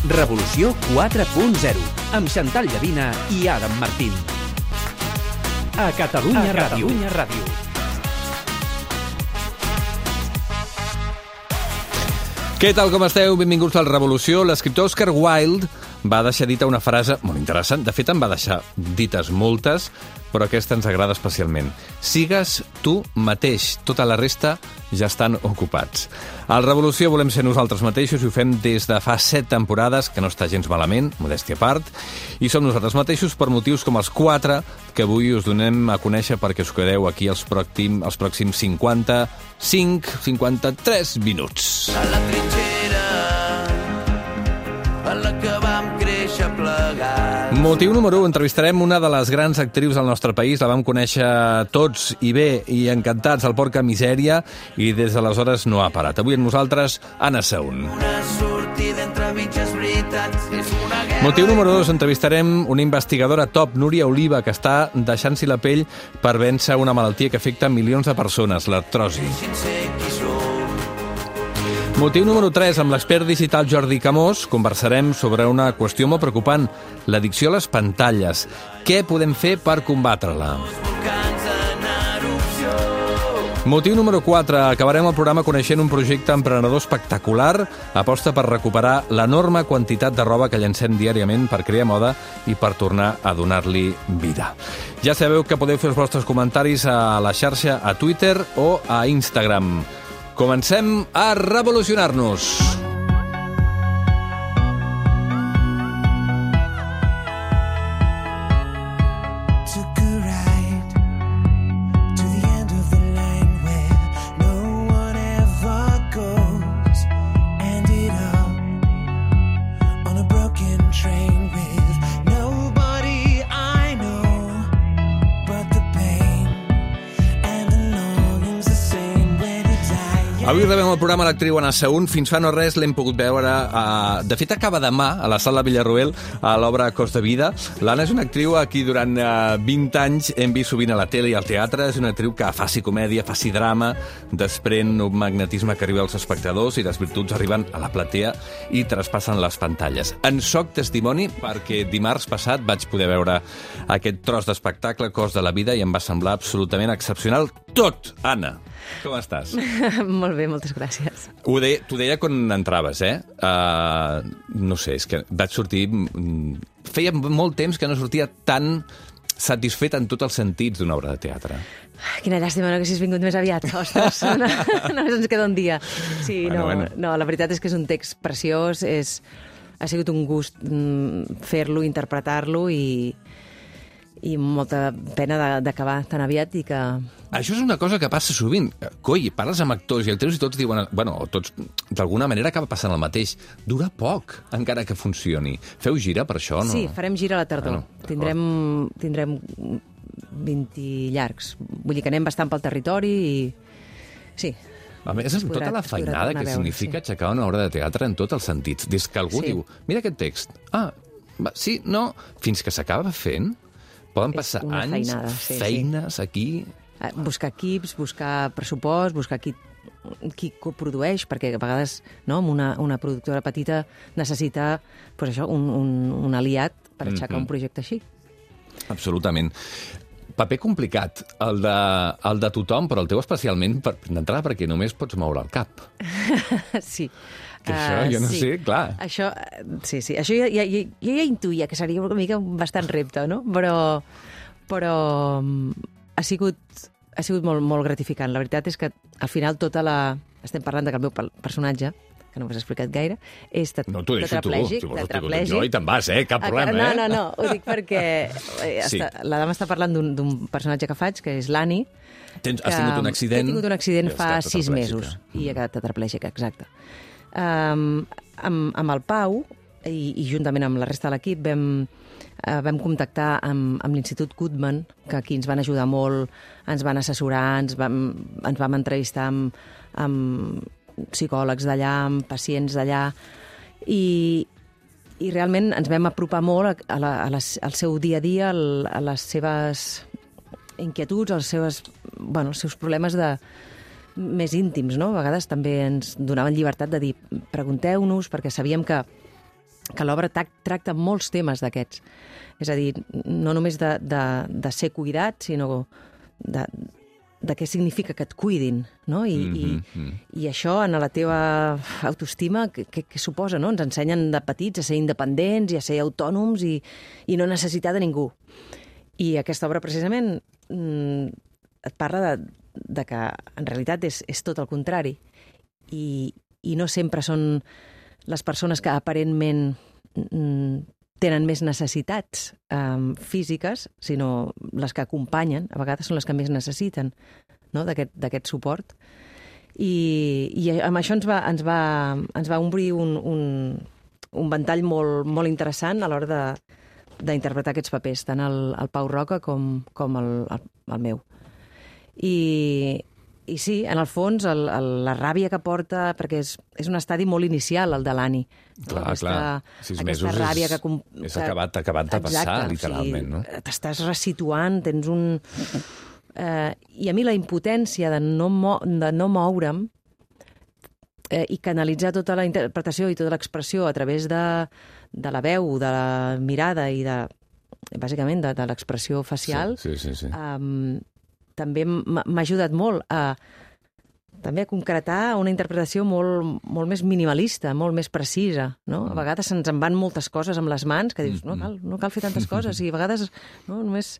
Revolució 4.0, amb Xantal Llavina i Adam Martín. A Catalunya Ràdio. Què tal, com esteu? Benvinguts a la Revolució. L'escriptor Oscar Wilde va deixar dita una frase molt interessant. De fet, en va deixar dites moltes, però aquesta ens agrada especialment. Sigues tu mateix. Tota la resta ja estan ocupats. A la Revolució volem ser nosaltres mateixos i ho fem des de fa 7 temporades, que no està gens malament, modèstia a part, i som nosaltres mateixos per motius com els 4 que avui us donem a conèixer perquè us quedeu aquí els pròxims 53 minuts. A la trinxera en la que vam créixer plegats. Motiu número 1. Entrevistarem una de les grans actrius del nostre país. La vam conèixer tots i bé i encantats al Porca Misèria i des d'aleshores no ha parat. Avui amb nosaltres, Anna Saun. Una sortida entre mitges veritats és una guerra. Motiu número 2. Entrevistarem una investigadora top, Núria Oliva, que està deixant-s'hi la pell per vèncer una malaltia que afecta milions de persones, l'artrosi. Deixin ser qui som. Motiu número 3. Amb l'expert digital Jordi Camós conversarem sobre una qüestió molt preocupant, l'addicció a les pantalles. Què podem fer per combatre-la? Volcans en erupció. Motiu número 4. Acabarem el programa coneixent un projecte emprenedor espectacular. Aposta per recuperar l'enorme quantitat de roba que llancem diàriament per crear moda i per tornar a donar-li vida. Ja sabeu que podeu fer els vostres comentaris a la xarxa, a Twitter o a Instagram. Comencem a revolucionar-nos. Avui rebem al programa l'actriu Anna Saun. Fins fa no res l'hem pogut veure. De fet, acaba demà a la Sala Villarroel a l'obra Cost de vida. L'Anna és una actriu a qui durant 20 anys hem vist sovint a la tele i al teatre. És una actriu que faci comèdia, faci drama, desprèn un magnetisme que arriba als espectadors i les virtuts arriben a la platea i traspassen les pantalles. En soc testimoni perquè dimarts passat vaig poder veure aquest tros d'espectacle, Cost de la vida, i em va semblar absolutament excepcional tot. Anna, com estàs? Molt bé, moltes gràcies. T'ho deia quan entraves, no sé, és que vaig sortir... Feia molt temps que no sortia tan satisfet en tots els sentits d'una obra de teatre. Quina llàstima, no, que si has vingut més aviat. Ostres, només ens queda un dia. Sí, bueno. No, la veritat és que és un text preciós, ha sigut un gust fer-lo, interpretar-lo i molta pena d'acabar tan aviat i que... Això és una cosa que passa sovint. Coi, parles amb actors i actrius i tots diuen... Bueno, tots, d'alguna manera acaba passant el mateix. Dura poc, encara que funcioni. Feu gira per això, no? Sí, farem gira a la tardor. Tindrem 20 llargs. Vull dir que anem bastant pel territori i... Sí. A més, amb tota la feinada que significa aixecar una obra de teatre en tots els sentits. Des que algú diu, mira aquest text. Sí, no... Fins que s'acaba fent... Poden passar anys, feines aquí... Buscar equips, buscar pressupost, buscar qui coprodueix, perquè a vegades amb una productora petita necessita un aliat per aixecar un projecte així. Absolutament. Paper complicat, el de tothom, però el teu especialment, d'entrada perquè només pots moure el cap. Sí. Que això, jo no sé, clar. Això, sí, això jo ja intuïa que seria una mica bastant repte, no? Però ha sigut molt gratificant. La veritat és que al final estem parlant que el meu personatge, que no m'has explicat gaire, és tetraplègic. No, t'ho dic jo i te'n vas, cap problema. No, ho dic perquè la dama està parlant d'un personatge que faig, que és l'Anni. Has tingut un accident? He tingut un accident fa 6 mesos i he quedat tetraplègica, exacte. Amb el Pau i juntament amb la resta de l'equip vam contactar amb l'Institut Guttmann, que aquí ens van ajudar molt, ens van assessorar, ens vam entrevistar amb psicòlegs d'allà, amb pacients d'allà, i realment ens vam apropar molt al seu dia a dia, a les seves inquietuds, els seus problemes més íntims, no? A vegades també ens donaven llibertat de dir pregunteu-nos, perquè sabíem que l'obra tracta molts temes d'aquests. És a dir, no només de ser cuidat, sinó de què significa que et cuidin, no? I això, en la teva autoestima, què suposa, no? Ens ensenyen de petits a ser independents i a ser autònoms i no necessitar de ningú. I aquesta obra, precisament, et parla de que, en realitat, és tot el contrari. I no sempre són les persones que aparentment tenen més necessitats físiques, sinó les que acompanyen, a vegades són les que més necessiten, no? d'aquest suport. I amb això ens va omplir un ventall molt interessant a l'hora d'interpretar aquests papers, tant el Pau Roca com el meu. I sí, en el fons, la ràbia que porta, perquè és un estadi molt inicial, el de l'Anni. Clar. 6 mesos ràbia és acabat de passar, literalment, no? T'estàs resituant, tens un... I a mi la impotència de no moure'm i canalitzar tota la interpretació i tota l'expressió a través de la veu, de la mirada i bàsicament de l'expressió facial, sí. també m'ha ajudat molt a concretar una interpretació molt més minimalista, molt més precisa, no? A vegades se'ns en van moltes coses amb les mans que dius, no cal fer tantes coses, i a vegades només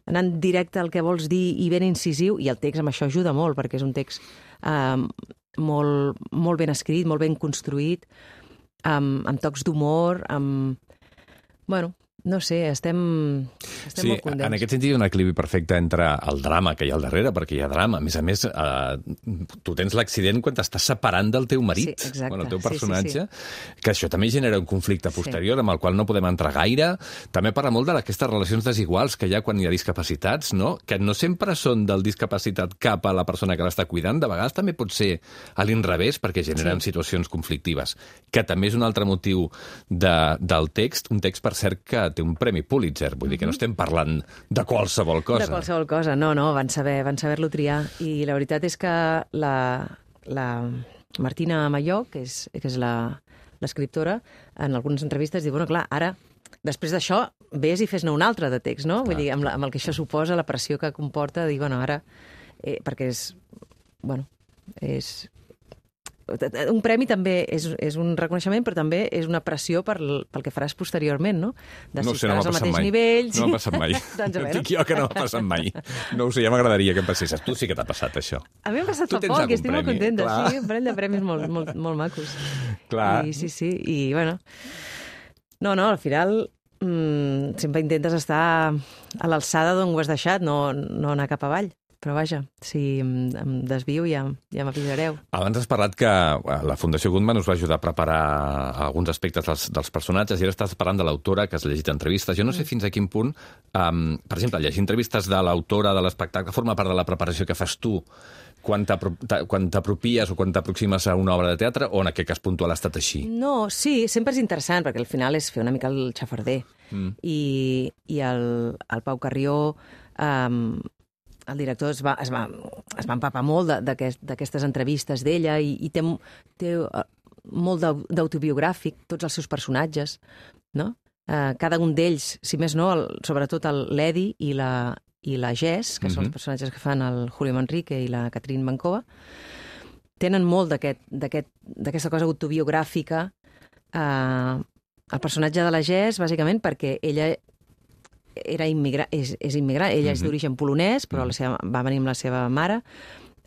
anant directe al que vols dir i ben incisiu, i el text amb això ajuda molt, perquè és un text molt ben escrit, molt ben construït, amb tocs d'humor, Bueno, no sé, estem molt contents. En aquest sentit hi ha un equilibri perfecte entre el drama que hi ha al darrere, perquè hi ha drama. A més, tu tens l'accident quan t'estàs separant del teu marit, sí, exacte. El teu personatge, que això també genera un conflicte posterior amb el qual no podem entrar gaire. També parla molt d'aquestes relacions desiguals que hi ha quan hi ha discapacitats, no? Que no sempre són del discapacitat cap a la persona que l'està cuidant, de vegades també pot ser a l'inrevés, perquè generen situacions conflictives, que també és un altre motiu del text, un text, per cert, que té un premi Pulitzer, vull dir que no estem parlant de qualsevol cosa. De qualsevol cosa, no, van saber-lo triar. I la veritat és que la Martina Mayó, que és l'escriptora, en algunes entrevistes diu, bueno, clar, ara, després d'això, vés i fes-ne un altre de text, no? Vull dir, amb el que això suposa, la pressió que comporta, dir, bueno, ara, perquè és un premi també és un reconeixement, però també és una pressió pel que faràs posteriorment, no? De si estaràs al mateix nivell... No m'ha passat mai. No dic jo que no m'ha passat mai. No ho sé, ja m'agradaria que em passés. Tu sí que t'ha passat, això. A mi m'ha passat fa poc i estic molt contenta. Sí, un parell de premis molt macos. Clar. Sí. I, bueno... No, al final sempre intentes estar a l'alçada d'on ho has deixat, no anar cap avall. Però vaja, si em desvio ja m'avisareu. Abans has parlat que la Fundació Guttmann us va ajudar a preparar alguns aspectes dels personatges i ara estàs parlant de l'autora, que has llegit entrevistes. Jo no sé fins a quin punt, per exemple, llegir entrevistes de l'autora de l'espectacle forma part de la preparació que fas tu quan t'apropies o quan t'aproximes a una obra de teatre, o en aquest cas puntual ha estat així? No, sí, sempre és interessant, perquè al final és fer una mica el xafarder. I el Pau Carrió... el director es va empapar molt d'aquestes entrevistes d'ella i té molt d'autobiogràfic, tots els seus personatges, no? Cada un d'ells, si més no, sobretot l'Edi i la Jess, que són els personatges que fan el Julio Manrique i la Catherine Bancova, tenen molt d'aquesta cosa autobiogràfica. El personatge de la Jess, bàsicament, perquè ella és immigrant, ella és d'origen polonès, però va venir amb la seva mare.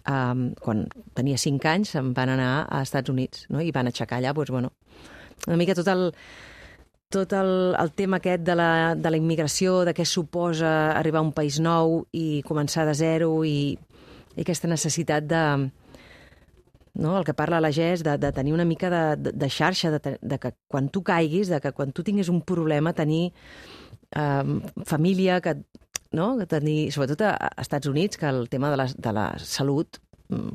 Quan tenia 5 anys se'n van anar a Estats Units, no? I van aixecar allà, una mica tot el tema aquest de la immigració, de què suposa arribar a un país nou i començar de zero, i aquesta necessitat el que parla la Jess, de tenir una mica de xarxa, de que quan tu caiguis, de que quan tu tinguis un problema, tenir família, que tenir, sobretot a Estats Units, que el tema de la salut,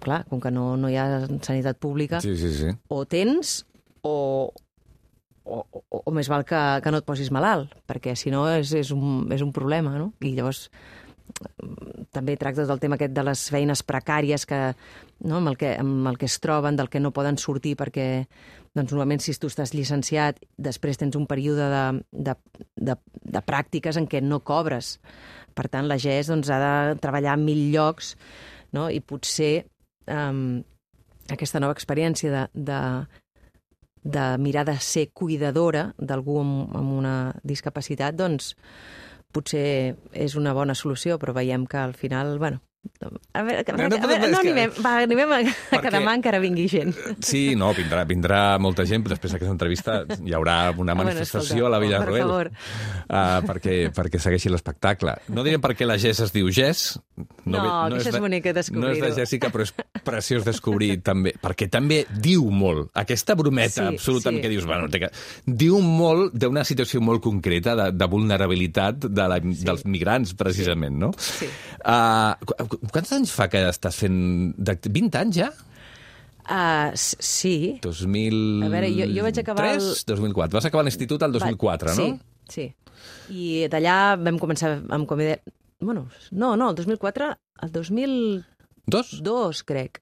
clar, com que no hi ha sanitat pública, o tens o més val que no et posis malalt, perquè si no és un problema, no? I llavors també tracta del tema aquest de les feines precàries que, no, amb el que es troben, del que no poden sortir perquè, doncs, normalment, si tu estàs llicenciat, després tens un període de pràctiques en què no cobres. Per tant, la GES doncs, ha de treballar en 1000 llocs, no? I potser aquesta nova experiència de mirar de ser cuidadora d'algú amb una discapacitat, doncs, potser és una bona solució, però veiem que al final, bueno, a veure, no animem a que demà encara vingui gent. Sí, no, vindrà molta gent, però després d'aquesta entrevista hi haurà una manifestació a la Villarroel perquè segueixi l'espectacle. No direm per què la GES es diu GES. No, això és bonic descobrir-ho. No és de Jessica, però és preciós descobrir també, perquè també diu molt. Aquesta brometa absoluta en què dius, bueno, diu molt d'una situació molt concreta de vulnerabilitat dels migrants, precisament, no? Sí. Quants anys fa que estàs fent... 20 anys ja? Sí. 2003, a veure, jo vaig acabar... 2004. Vas acabar l'institut el 2004, no? Sí. I d'allà vam començar amb comèdia... Bueno, no, el 2004, el 2002, crec.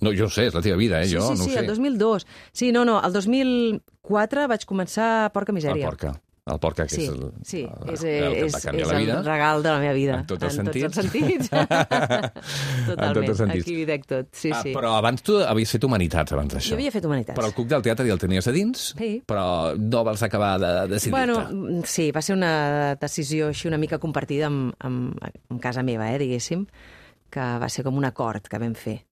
No, jo sé, és la teva vida, jo no ho sé. Sí, el 2002. Sí, no, el 2004 vaig començar Porca Misèria. El Porca, que és el regal de la meva vida. En tots els sentits. Totalment, aquí hi dec tot. Sí. Però abans tu havies fet Humanitats, abans d'això. Jo havia fet Humanitats. Però el Cuc del Teatre ja el tenies a dins, però no vols acabar de decidir-te. Bueno, sí, va ser una decisió així una mica compartida amb casa meva, diguéssim, que va ser com un acord que vam fer.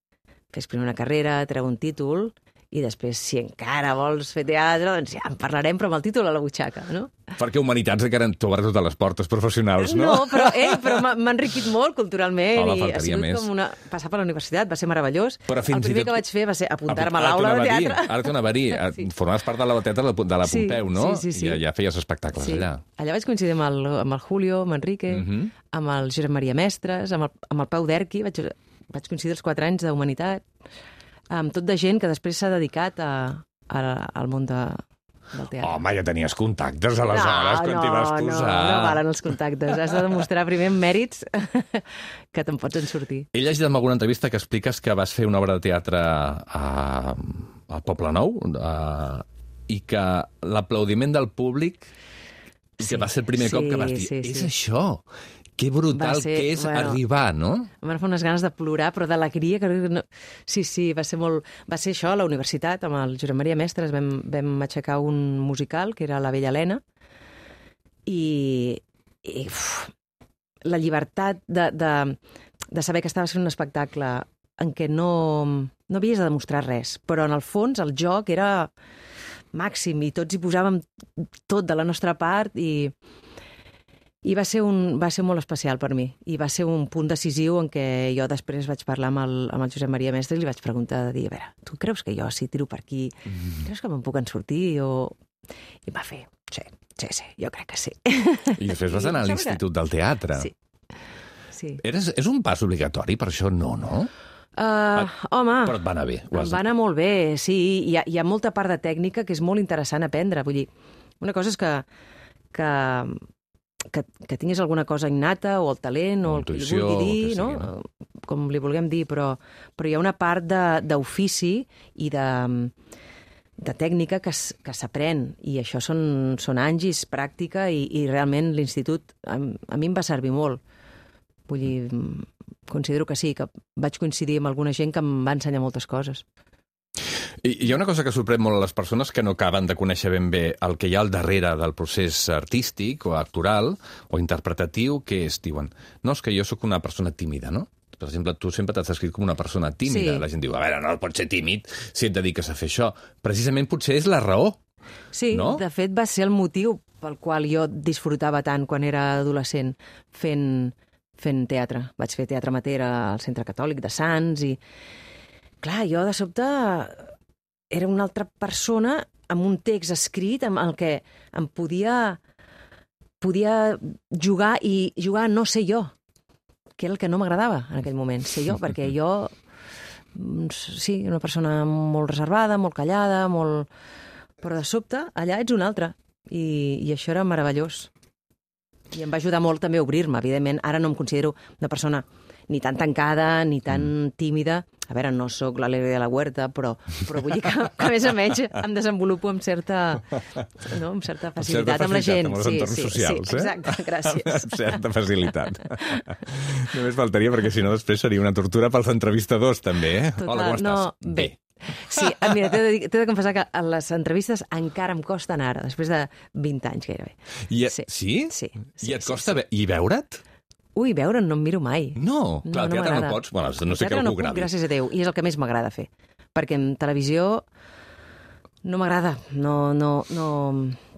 Fes primer una carrera, treu un títol, i després, si encara vols fer teatre, doncs ja en parlarem, però amb el títol a la butxaca, no? Perquè Humanitats encara t'obre totes les portes professionals, no? No, però m'ha enriquit molt culturalment. Home, i ha sigut més. Com passar per la universitat, va ser meravellós. Però el primer que vaig fer va ser apuntar-me a l'aula de teatre. Ara t'ho anava a dir. Formaves part de l'aula de teatre de la Pompeu, no? Sí. I ja feies espectacles allà. Allà vaig coincidir amb el Julio, amb Enrique, amb el Josep Maria Mestres, amb el Pau Derqui. Vaig coincidir els 4 anys d'Humanitat, amb tot de gent que després s'ha dedicat al món del teatre. Home, ja tenies contactes aleshores quan t'hi vas posar. No valen els contactes. Has de demostrar primer mèrits que te'n pots en sortir. He llegit en alguna entrevista que expliques que vas fer una obra de teatre a Poble Nou i que l'aplaudiment del públic que va ser el primer cop que vas dir és això. Que brutal que és arribar, no? Em van fer unes ganes de plorar, però d'alegria. No... Sí, va ser molt... Va ser això a la universitat, amb el Josep Maria Mestres. Vam aixecar un musical, que era La Vella Helena, i la llibertat de saber que estaves fent un espectacle en què no havies de demostrar res, però en el fons el joc era màxim i tots hi posàvem tot de la nostra part i va ser molt especial per mi. I va ser un punt decisiu en què jo després vaig parlar amb el Josep Maria Mestre i li vaig preguntar de dir, a veure, tu creus que jo si tiro per aquí, creus que me'n puc en sortir? I va fer, sí, jo crec que sí. I després vas anar a l'Institut del Teatre. Sí. És un pas obligatori, per això no? Home... Però et va anar bé. Em va anar molt bé, sí. Hi ha molta part de tècnica que és molt interessant aprendre. Vull dir, una cosa és que tinguis alguna cosa innata o el talent o el que li vulgui dir, no? Com li vulguem dir, però hi ha una part d'ofici i de tècnica que s'aprèn i això són anys i és pràctica i realment l'institut a mi em va servir molt. Vull dir, considero que sí, que vaig coincidir amb alguna gent que em va ensenyar moltes coses. I hi ha una cosa que sorprèn molt a les persones que no acaben de conèixer ben bé el que hi ha al darrere del procés artístic o actoral o interpretatiu, que diuen, no, és que jo sóc una persona tímida, no? Per exemple, tu sempre t'has descrit com una persona tímida. Sí. La gent diu, a veure, no pots ser tímid si et dediques a fer això. Precisament potser és la raó. Sí, no? De fet va ser el motiu pel qual jo disfrutava tant quan era adolescent fent teatre. Vaig fer teatre amateur al Centre Catòlic de Sants i, clar, jo de sobte era una altra persona amb un text escrit amb el que em podia jugar i jugar a no ser jo, que era el que no m'agradava en aquell moment, ser jo, perquè jo, sí, una persona molt reservada, molt callada, però de sobte allà ets un altre i això era meravellós. I em va ajudar molt també a obrir-me, evidentment. Ara no em considero una persona ni tan tancada, ni tan tímida. A veure, no sóc l'Alegre de la Huerta, però vull dir que a més a menys em desenvolupo amb certa facilitat amb la gent. Amb els entorns socials, exacte, gràcies. Amb certa facilitat. Només faltaria, perquè si no després seria una tortura pels entrevistadors, també, eh? Total, Hola, com estàs? No, bé. Sí, mira, t'he de confessar que a les entrevistes encara em costen ara, després de 20 anys gairebé. Sí? Sí. I et costa i veure't? Ui, veure'n no em miro mai. No, clar, al teatre no m'agrada. pots. Bueno, no sé què Teatre algú no puc, gravi. gràcies a Déu, i és el que més m'agrada fer. Perquè en televisió no m'agrada, no...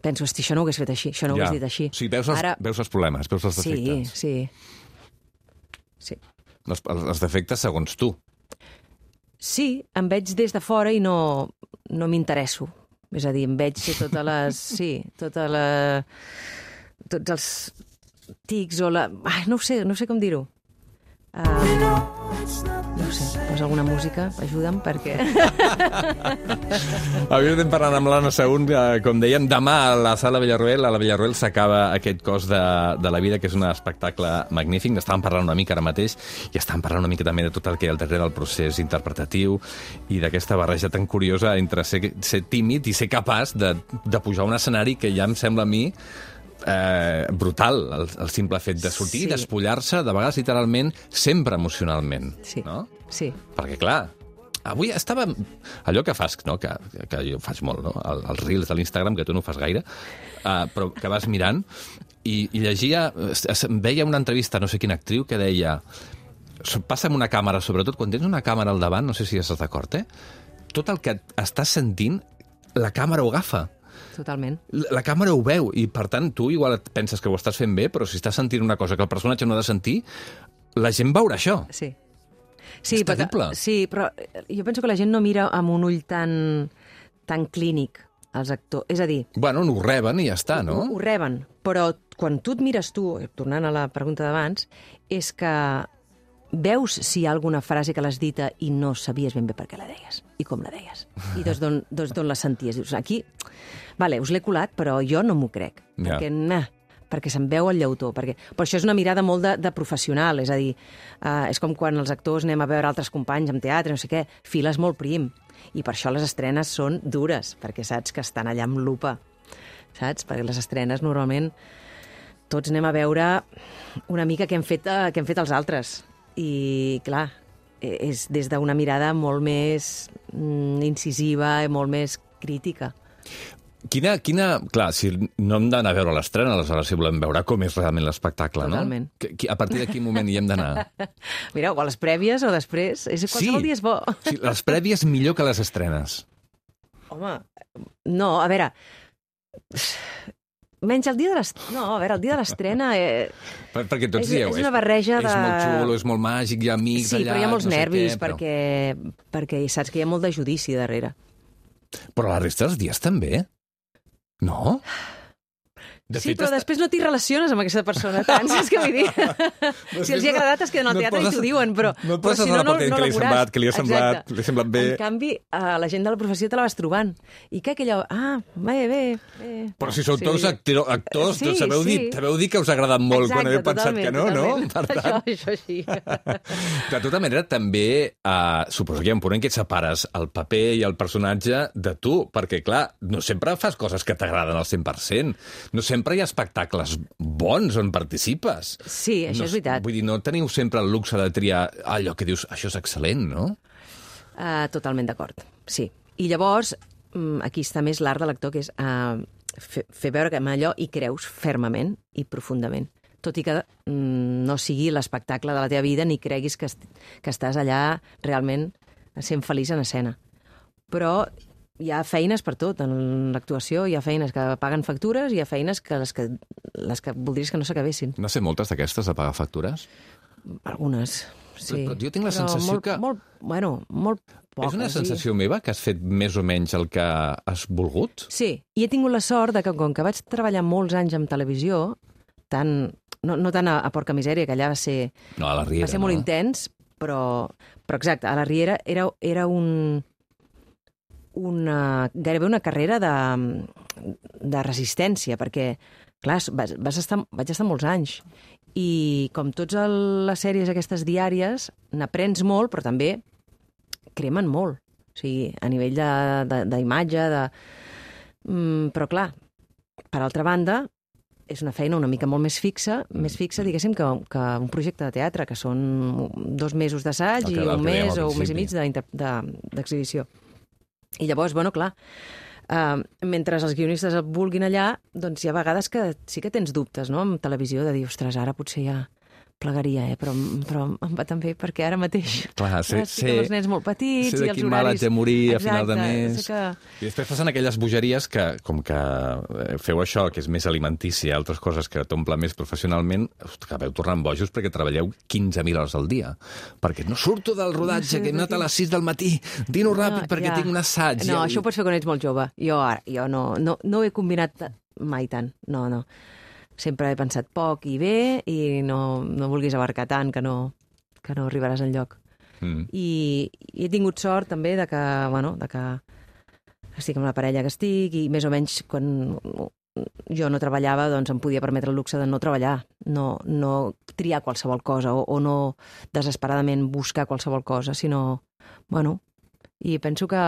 Penso, hosti, això no ho hagués fet així, això no ho hagués dit així. O sigui, veus els problemes, veus els defectes. Sí. Els defectes segons tu. Sí, em veig des de fora i no m'interesso. És a dir, em veig totes les... Sí, tots els tics o la... Ai, no sé com dir-ho. No sé, posa alguna música, ajuda'm, perquè... Avui estem parlant amb l'Anna Saún, com dèiem, demà a la Sala Villarroel. A la Villarroel s'acaba aquest Cos de la vida, que és un espectacle magnífic. N'estàvem parlant una mica ara mateix i estàvem parlant una mica també de tot el que hi ha al darrere del procés interpretatiu i d'aquesta barreja tan curiosa entre ser tímid i ser capaç de pujar a un escenari que ja em sembla a mi brutal, el simple fet de sortir i despullar-se, de vegades literalment, sempre emocionalment. Sí, no? sí. Perquè, clar, avui estava... Allò que fas, no? que jo faig molt, no? Els reels de l'Instagram, que tu no ho fas gaire, però que vas mirant, i llegia... Veia una entrevista a no sé quina actriu que deia... Passa amb una càmera, sobretot quan tens una càmera al davant, no sé si estàs d'acord, tot el que estàs sentint, la càmera ho agafa. Totalment. La càmera ho veu, i per tant tu igual et penses que ho estàs fent bé, però si estàs sentint una cosa que el personatge no ha de sentir, la gent veurà això. Sí. És terrible. Sí, però jo penso que la gent no mira amb un ull tan clínic als actors. És a dir... Bueno, ho reben i ja està, no? Ho reben, però quan tu et mires tu, tornant a la pregunta d'abans, és que veus si hi ha alguna frase que l'has dita i no sabies ben bé per què la deies i com la deies. I d'on la senties. Dius, aquí, vale, us l'he colat, però jo no m'ho crec. Perquè se'n veu el llautó. Però això és una mirada molt de professional. És a dir, és com quan els actors anem a veure altres companys en teatre, no sé què, files molt prim. I per això les estrenes són dures, perquè saps que estan allà amb lupa. Saps? Perquè les estrenes normalment tots anem a veure una mica què hem fet els altres. I, clar, és des d'una mirada molt més incisiva i molt més crítica. Quina... Clar, si no hem d'anar a veure l'estrena, aleshores si volem veure com és realment l'espectacle, no? Totalment. A partir de quin moment hi hem d'anar? Mira, o a les prèvies o després. Qualsevol dia és bo. Sí, les prèvies millor que les estrenes. Home, no, a veure... Menys el dia de l'estrena... No, a veure, el dia de l'estrena... Perquè tots dieu... És una barreja de... És molt xulo, és molt màgic, hi ha amics allà... Sí, però hi ha molts nervis, però... perquè saps que hi ha molt de judici darrere. Però la resta dels dies també? No? Sí, però després no t'hi relaciones amb aquesta persona tant, saps què vull dir? Si els hi ha agradat es queden al teatre i t'ho diuen, però si no, no la veuràs. Que li ha semblat bé. En canvi, la gent de la professió te la vas trobant. I que aquella... bé. Però si sou tots actors, sabeu dir que us ha agradat molt quan heu pensat que no, no? Per tant... Això sí. De tota manera, també suposo que hi ha un punt en què et separes el paper i el personatge de tu, perquè, clar, no sempre fas coses que t'agraden al 100%. No sempre hi ha espectacles bons on participes. Sí, això és veritat. Vull dir, no teniu sempre el luxe de triar allò que dius, això és excel·lent, no? Totalment d'acord, sí. I llavors, aquí està més l'art de l'actor, que és fer veure que amb allò hi creus fermament i profundament. Tot i que no sigui l'espectacle de la teva vida ni creguis que estàs allà realment sent feliç en escena. Però hi ha feines per tot en l'actuació, hi ha feines que paguen factures i hi ha feines que les que voldries que no s'acabessin. No sé moltes d'aquestes de pagar factures? Algunes, sí. Però jo tinc la sensació que... Molt poques. És una sensació meva que has fet més o menys el que has volgut? Sí, i he tingut la sort de que com que vaig treballar molts anys en televisió, no tant a Porca Misèria, que allà va ser... No, a la Riera, va ser molt intens, però exacte, a la Riera era gairebé una carrera de resistència, perquè clar, vaig estar molts anys. I com totes les sèries aquestes diàries, n'aprens molt, però també cremen molt. O sigui, a nivell d'imatge, però clar, per altra banda, és una feina una mica molt més fixa, diguéssim, que un projecte de teatre, que són 2 mesos d'assaig i un mes o un mes i mig d'exhibició. I llavors, bueno, clar, mentre els guionistes et vulguin allà, doncs hi ha vegades que sí que tens dubtes, no?, amb televisió, de dir, ostres, ara potser ja plegaria, però em va tan bé perquè ara mateix estic amb els nens molt petits i els horaris... Sé de quin mal haig de morir a final de mes. I després passen aquelles bogeries que, com que feu això, que és més alimentícia, altres coses que t'omple més professionalment, acabeu tornant bojos perquè treballeu 15.000 hores al dia. Perquè no surto del rodatge, que he anat a les 6 del matí, dino ràpid perquè tinc un assaig. No, això ho pots fer quan ets molt jove. Jo no ho he combinat mai tant, no. Sempre he pensat poc i bé i no vulguis abarcar tant que no arribaràs enlloc. I he tingut sort també de que estic amb la parella que estic i més o menys quan jo no treballava doncs em podia permetre el luxe de no treballar, no triar qualsevol cosa o no desesperadament buscar qualsevol cosa, sinó, i penso que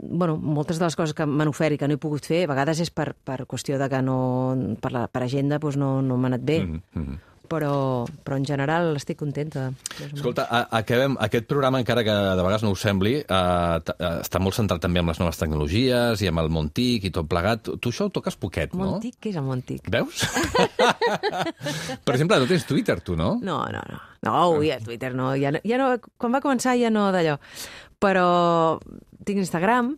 moltes de les coses que m'han ofert i que no he pogut fer, a vegades és per qüestió de que per agenda no m'ha anat bé. Però en general estic contenta. Escolta, acabem aquest programa, encara que de vegades no us sembli, està molt centrat també en les noves tecnologies i amb el món TIC i tot plegat. Tu això ho toques poquet, no? Món TIC? Què és el món TIC? Veus? Per exemple, no tens Twitter, tu, no? No, Twitter no. Ja no. Quan va començar ja no d'allò. Però tinc Instagram.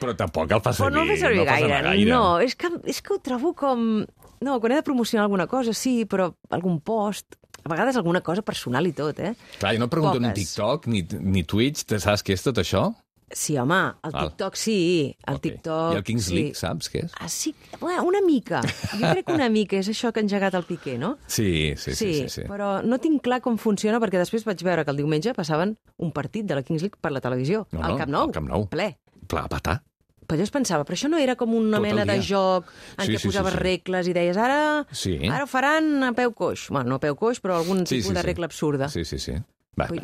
Però tampoc el fa servir. Però no el fa servir gaire. No, és que ho trobo com... No, quan he de promocionar alguna cosa, sí, però algun post, a vegades alguna cosa personal i tot, Clar, jo no pregunto ni TikTok ni Twitch, saps què és tot això? Sí, home, el TikTok sí, TikTok... I el Kings League, saps què és? Sí, una mica. Jo crec que una mica és això que ha engegat el Piqué, no? Sí. Però no tinc clar com funciona, perquè després vaig veure que el diumenge passaven un partit de la Kings League per la televisió, al Camp Nou. Ple. Ple a patar. Però jo es pensava, però això no era com una mena de joc en què posaves regles i deies, ara ho faran a peu coix. Bueno, no a peu coix, però algun tipus de regla absurda. Sí. I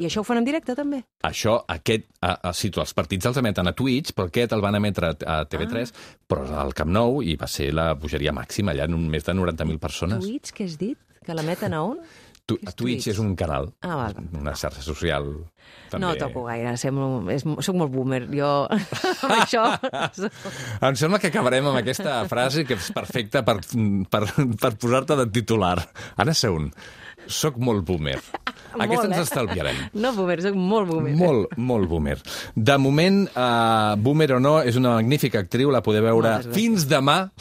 això ho fan en directe, també? Això, els partits els emeten a Twitch, però aquest el van emetre a TV3, però al Camp Nou, i va ser la bogeria màxima, allà en més de 90.000 persones. Twitch, què has dit? Que l'emeten a on? Twitch és un canal, una xarxa social. També. No toco gaire, soc molt boomer, jo amb això... Em sembla que acabarem amb aquesta frase que és perfecta per posar-te de titular. Anna Seun, soc molt boomer. Aquesta ens estalviarem. No boomer, soc molt boomer. Molt boomer. De moment, boomer o no, és una magnífica actriu, la podeu veure fins demà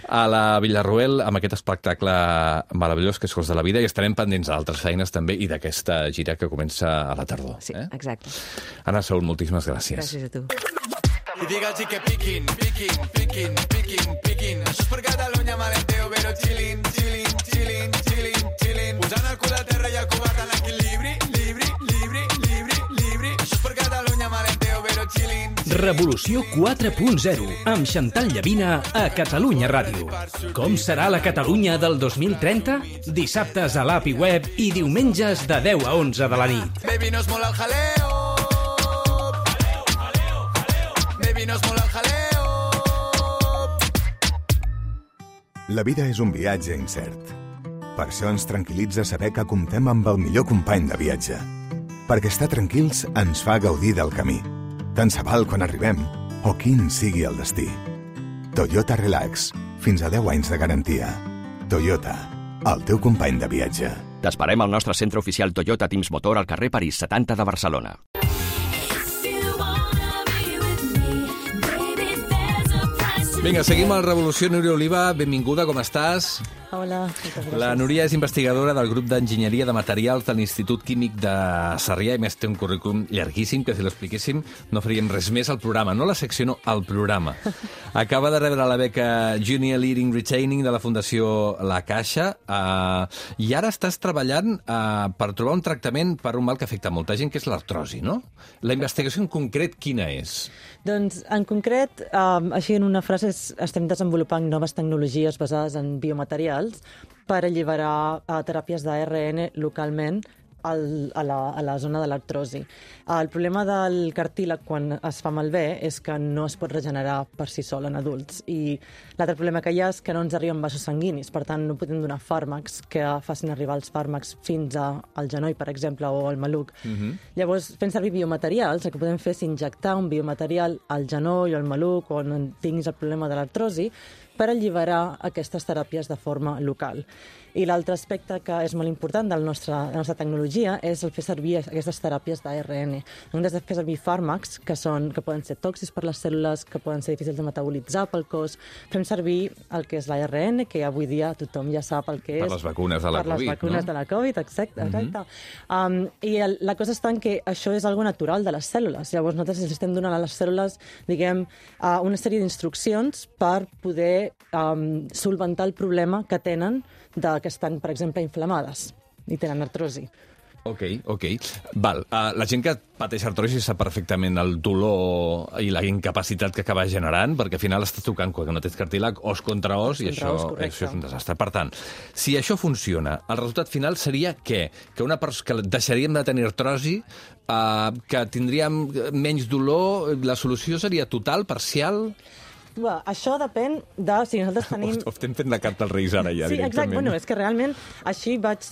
a la Villarroel amb aquest espectacle meravellós que és Cos de la vida, i estarem pendents d'altres feines també i d'aquesta gira que comença a la tardor. Sí, exacte. Anna Seun, moltíssimes gràcies. Gràcies a tu. I digue'ls que piquin. Això és per Catalunya, malenteo, però chillin. Posant el cul a terra i el covard en l'equilibri, llibre. Això és per Catalunya, malenteo, però chillin. Revolució 4.0, amb Chantal Llavina a Catalunya Ràdio. Com serà la Catalunya del 2030? Dissabtes a l'app i web i diumenges de 10 a 11 de la nit. Baby, no es mola el jaleo. Baby, no es mola el jaleo. La vida és un viatge incert. Per això ens tranquil·litza saber que comptem amb el millor company de viatge. Perquè estar tranquils ens fa gaudir del camí. Tant se val quan arribem o quin sigui el destí. Toyota Relax. Fins a 10 anys de garantia. Toyota, el teu company de viatge. T'esperem al nostre centre oficial Toyota Teams Motor al carrer París 70 de Barcelona. Vinga, seguim a la Revolució. Núria Oliva, benvinguda, com estàs? Hola, moltes gràcies. La Núria és investigadora del grup d'Enginyeria de Materials de l'Institut Químic de Sarrià, i més té un currículum llarguíssim, que si l'expliquéssim no faríem res més al programa. No la secció, no, al programa. Acaba de rebre la beca Junior Leading Retaining de la Fundació La Caixa, i ara estàs treballant per trobar un tractament per un mal que afecta molta gent, que és l'artrosi, no? La investigació en concret, quina és? Doncs, en concret, així en una frase Nosaltres estem desenvolupant noves tecnologies basades en biomaterials per alliberar teràpies d'ARN localment a la zona de l'artrosi. El problema del cartílag quan es fa malbé és que no es pot regenerar per si sol en adults, i l'altre problema que hi ha és que no ens arriben vasos sanguinis, per tant no podem donar fàrmacs que facin arribar els fàrmacs fins al genoll, per exemple, o al maluc. Llavors, fent servir biomaterials, el que podem fer és injectar un biomaterial al genoll o al maluc o on tinguis el problema de l'artrosi per alliberar aquestes teràpies de forma local. I l'altre aspecte que és molt important de la nostra tecnologia és el fer servir aquestes teràpies d'ARN. Hem de fer servir fàrmacs que poden ser tòxics per les cèl·lules, que poden ser difícils de metabolitzar pel cos. Fem servir el que és l'ARN, que avui dia tothom ja sap el que és. Per les vacunes de la Covid, Per les vacunes de la Covid, exacte. I la cosa està en que això és algo natural de les cèl·lules. Llavors nosaltres els estem donant a les cèl·lules, diguem, una sèrie d'instruccions per poder solventar el problema que tenen que estan, per exemple, inflamades i tenen artrosi. Ok. Val. La gent que pateix artrosi sap perfectament el dolor i la incapacitat que acaba generant, perquè al final estàs tocant quan no tens cartílag, os contra os, i això és un desastre. Per tant, si això funciona, el resultat final seria què? Que deixaríem de tenir artrosi, que tindríem menys dolor, la solució seria total, parcial? Això depèn de si nosaltres tenim... Estem fent la carta als Reis ara ja, sí, directament. Exacte. Bueno, és que realment així vaig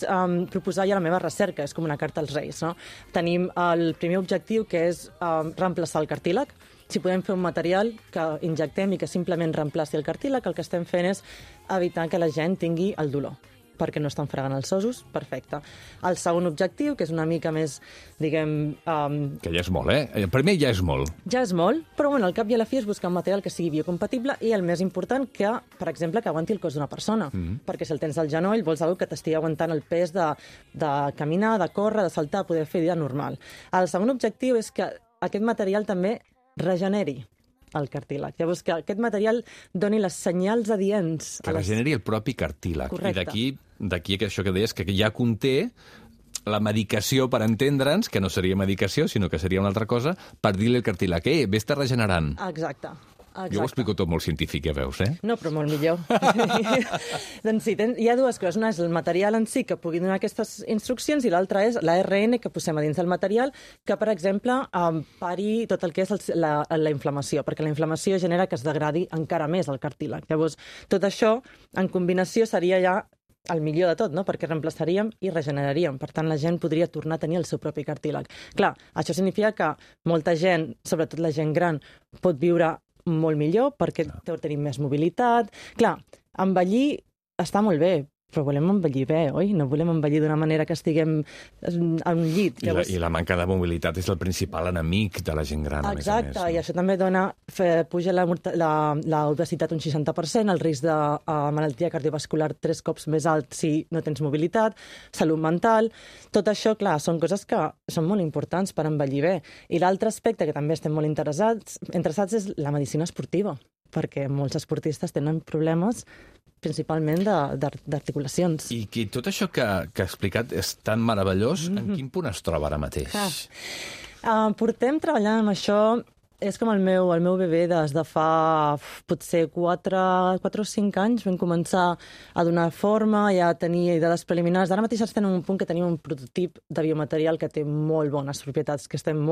proposar ja la meva recerca, és com una carta als Reis, no? Tenim el primer objectiu, que és reemplaçar el cartílag. Si podem fer un material que injectem i que simplement reemplaci el cartílag, el que estem fent és evitar que la gent tingui el dolor, perquè no estan fregant els ossos, perfecte. El segon objectiu, que és una mica més, diguem... Que ja és molt, El primer ja és molt. Ja és molt, però bueno, al cap i a la fi és buscar un material que sigui biocompatible i el més important, que, per exemple, que aguanti el cos d'una persona. Perquè si el tens al genoll, vols algú que t'estigui aguantant el pes de caminar, de córrer, de saltar, poder fer vida normal. El segon objectiu és que aquest material també regeneri el cartílag. Llavors, que aquest material doni les senyals adients. Que regeneri el propi cartílag. Correcte. I d'aquí això que deies, que ja conté la medicació per entendre'ns, que no seria medicació, sinó que seria una altra cosa, per dir-li al cartílag, vés-te regenerant. Exacte. Jo ho explico tot molt científic, ja veus, No, però molt millor. Doncs sí, hi ha dues coses. Una és el material en si, que pugui donar aquestes instruccions, i l'altra és l'ARN que posem a dins del material, que, per exemple, pari tot el que és la inflamació, perquè la inflamació genera que es degradi encara més el cartílag. Llavors, tot això, en combinació, seria ja el millor de tot, no? Perquè reemplaçaríem i regeneraríem. Per tant, la gent podria tornar a tenir el seu propi cartílag. Clar, això significa que molta gent, sobretot la gent gran, pot viure molt millor perquè tenim més mobilitat. Clar, envellir està molt bé, però volem envellir bé, oi? No volem envellir d'una manera que estiguem en un llit. Llavors... I la manca de mobilitat és el principal enemic de la gent gran, exacte, a més a més. I això també puja l'obesitat un 60%, el risc de malaltia cardiovascular 3 cops més alt si no tens mobilitat, salut mental. Tot això, clar, són coses que són molt importants per envellir bé. I l'altre aspecte que també estem molt interessats és la medicina esportiva, perquè molts esportistes tenen problemes principalment d'articulacions. I tot això que ha explicat és tan meravellós, en quin punt es troba ara mateix? Portem treballant amb això, és com el meu bebè des de fa potser 4 o 5 anys. Vam començar a donar forma i a tenir dades preliminars. Ara mateix estem en un punt que tenim un prototip de biomaterial que té molt bones propietats, que estem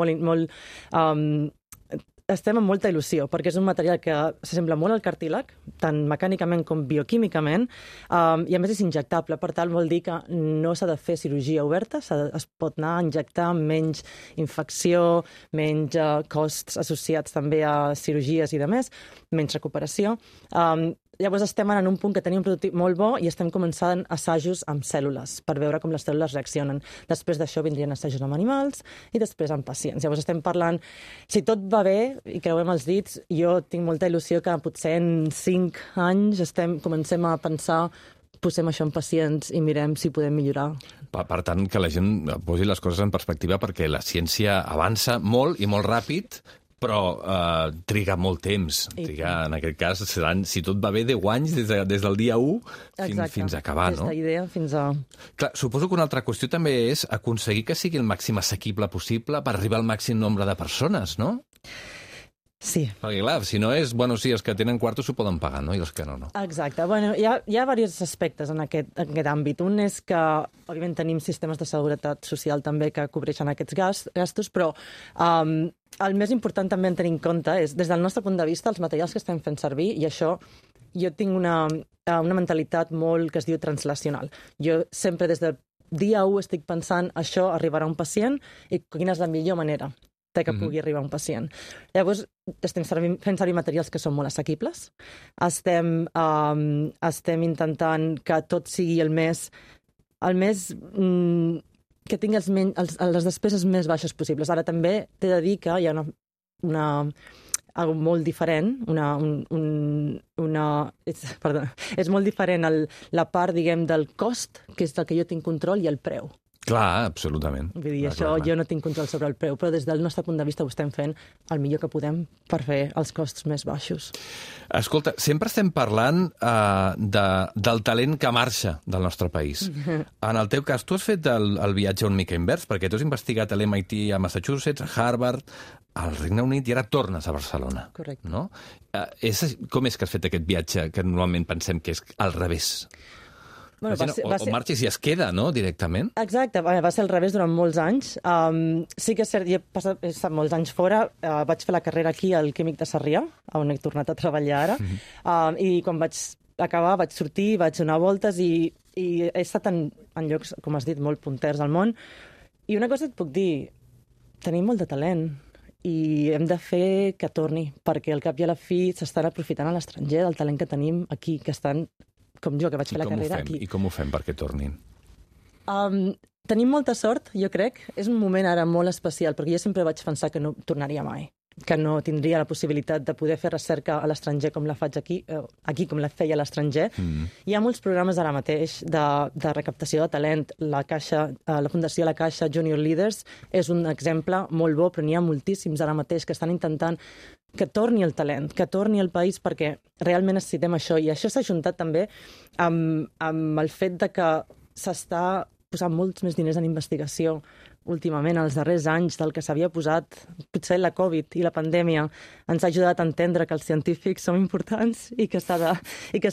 estem amb molta il·lusió, perquè és un material que s'assembla molt al cartílag, tant mecànicament com bioquímicament, i a més és injectable. Per tant, vol dir que no s'ha de fer cirurgia oberta, es pot anar a injectar amb menys infecció, menys costs associats també a cirurgies i demés, menys recuperació. Llavors estem en un punt que tenim un prototip molt bo i estem començant assajos amb cèl·lules per veure com les cèl·lules reaccionen. Després d'això vindrien assajos amb animals i després amb pacients. Llavors estem parlant, si tot va bé i creuem els dits, jo tinc molta il·lusió que potser en 5 anys comencem a pensar, posem això en pacients i mirem si podem millorar. Per tant, que la gent posi les coses en perspectiva, perquè la ciència avança molt i molt ràpid, però triga molt temps. En aquest cas, seran, si tot va bé, 10 anys des del dia 1 fins a acabar, no? Des d'idea fins a... Clar, suposo que una altra qüestió també és aconseguir que sigui el màxim assequible possible per arribar al màxim nombre de persones, no? Sí. Perquè, clar, si no és... Bueno, sí, els que tenen quartos s'ho poden pagar, no? I els que no, no. Exacte. Bueno, hi ha diversos aspectes en aquest àmbit. Un és que, òbviament, tenim sistemes de seguretat social també que cobreixen aquests gastos, però el més important també en tenir en compte és, des del nostre punt de vista, els materials que estem fent servir, i això jo tinc una mentalitat molt que es diu translacional. Jo sempre des del dia 1 estic pensant això arribarà a un pacient i quina és la millor manera que pugui arribar a un pacient. Llavors, estem fent servir materials que són molt assequibles. Estem intentant que tot sigui el més que tingui les despeses més baixes possibles. Ara també t'he de dir que hi ha algo molt diferent, és molt diferent la part, diguem, del cost, que és del que jo tinc control, i el preu. Clar, absolutament. Vull dir, això jo no tinc control sobre el preu, però des del nostre punt de vista ho estem fent el millor que podem per fer els costos més baixos. Escolta, sempre estem parlant del talent que marxa del nostre país. En el teu cas, tu has fet el viatge una mica invers, perquè tu has investigat a l'MIT a Massachusetts, a Harvard, al Regne Unit, i ara tornes a Barcelona. Correcte. No? Com és que has fet aquest viatge que normalment pensem que és al revés? Bueno, o marxes i es queda, no?, directament? Exacte, va ser al revés durant molts anys. Sí que és cert, he estat molts anys fora, vaig fer la carrera aquí al Químic de Sarrià, on he tornat a treballar ara, i quan vaig acabar vaig sortir, vaig donar voltes i he estat en llocs, com has dit, molt punters al món. I una cosa et puc dir, tenim molt de talent i hem de fer que torni, perquè al cap i a la fi s'estan aprofitant a l'estranger del talent que tenim aquí, que estan com jo, que vaig fer la carrera aquí. I com ho fem perquè tornin? Tenim molta sort, jo crec. És un moment ara molt especial, perquè jo sempre vaig pensar que no tornaria mai, que no tindria la possibilitat de poder fer recerca a l'estranger com la faig aquí com la feia a l'estranger. Hi ha molts programes ara mateix de recaptació de talent. La Fundació La Caixa Junior Leaders és un exemple molt bo, però n'hi ha moltíssims ara mateix que estan intentant que torni el talent, que torni al país, perquè realment necessitem això. I això s'ha ajuntat també amb el fet de que s'està posant molts més diners en investigació últimament, els darrers anys, del que s'havia posat. Potser la Covid i la pandèmia ens ha ajudat a entendre que els científics som importants i que s'ha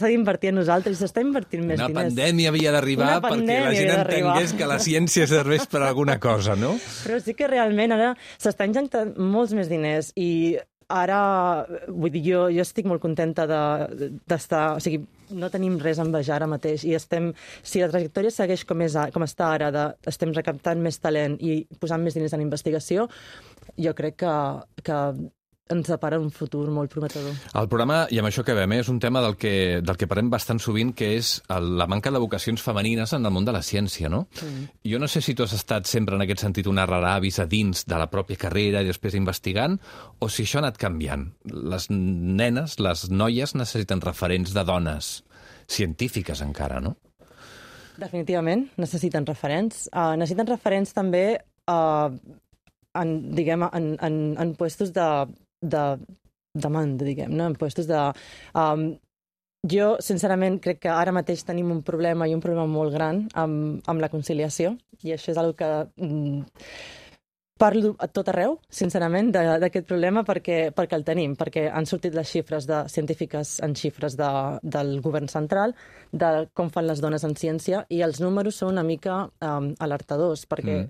d'invertir en nosaltres, i s'està invertint més diners. Una pandèmia havia d'arribar perquè la gent entengués que la ciència serveix per alguna cosa, no? Però sí que realment ara s'està injectant molts més diners, i ara, vull dir, jo estic molt contenta d'estar... O sigui, no tenim res a envejar ara mateix, i si la trajectòria segueix com està ara, estem recaptant més talent i posant més diners en investigació, jo crec que ens depara un futur molt prometedor. El programa, i amb això que veiem, és un tema del que parlem bastant sovint, que és la manca de vocacions femenines en el món de la ciència, no? Jo no sé si tu has estat sempre en aquest sentit una rara avis a dins de la pròpia carrera i després investigant, o si això ha anat canviant. Les nenes, les noies, necessiten referents de dones científiques encara, no? Definitivament, necessiten referents. Necessiten referents també en puestos de demanda, diguem, no? En puestos de... Jo, sincerament, crec que ara mateix tenim un problema, i un problema molt gran, amb la conciliació, i això és una que parlo a tot arreu, sincerament, d'aquest problema, perquè el tenim, perquè han sortit les xifres científiques en xifres del govern central, de com fan les dones en ciència, i els números són una mica alertadors, perquè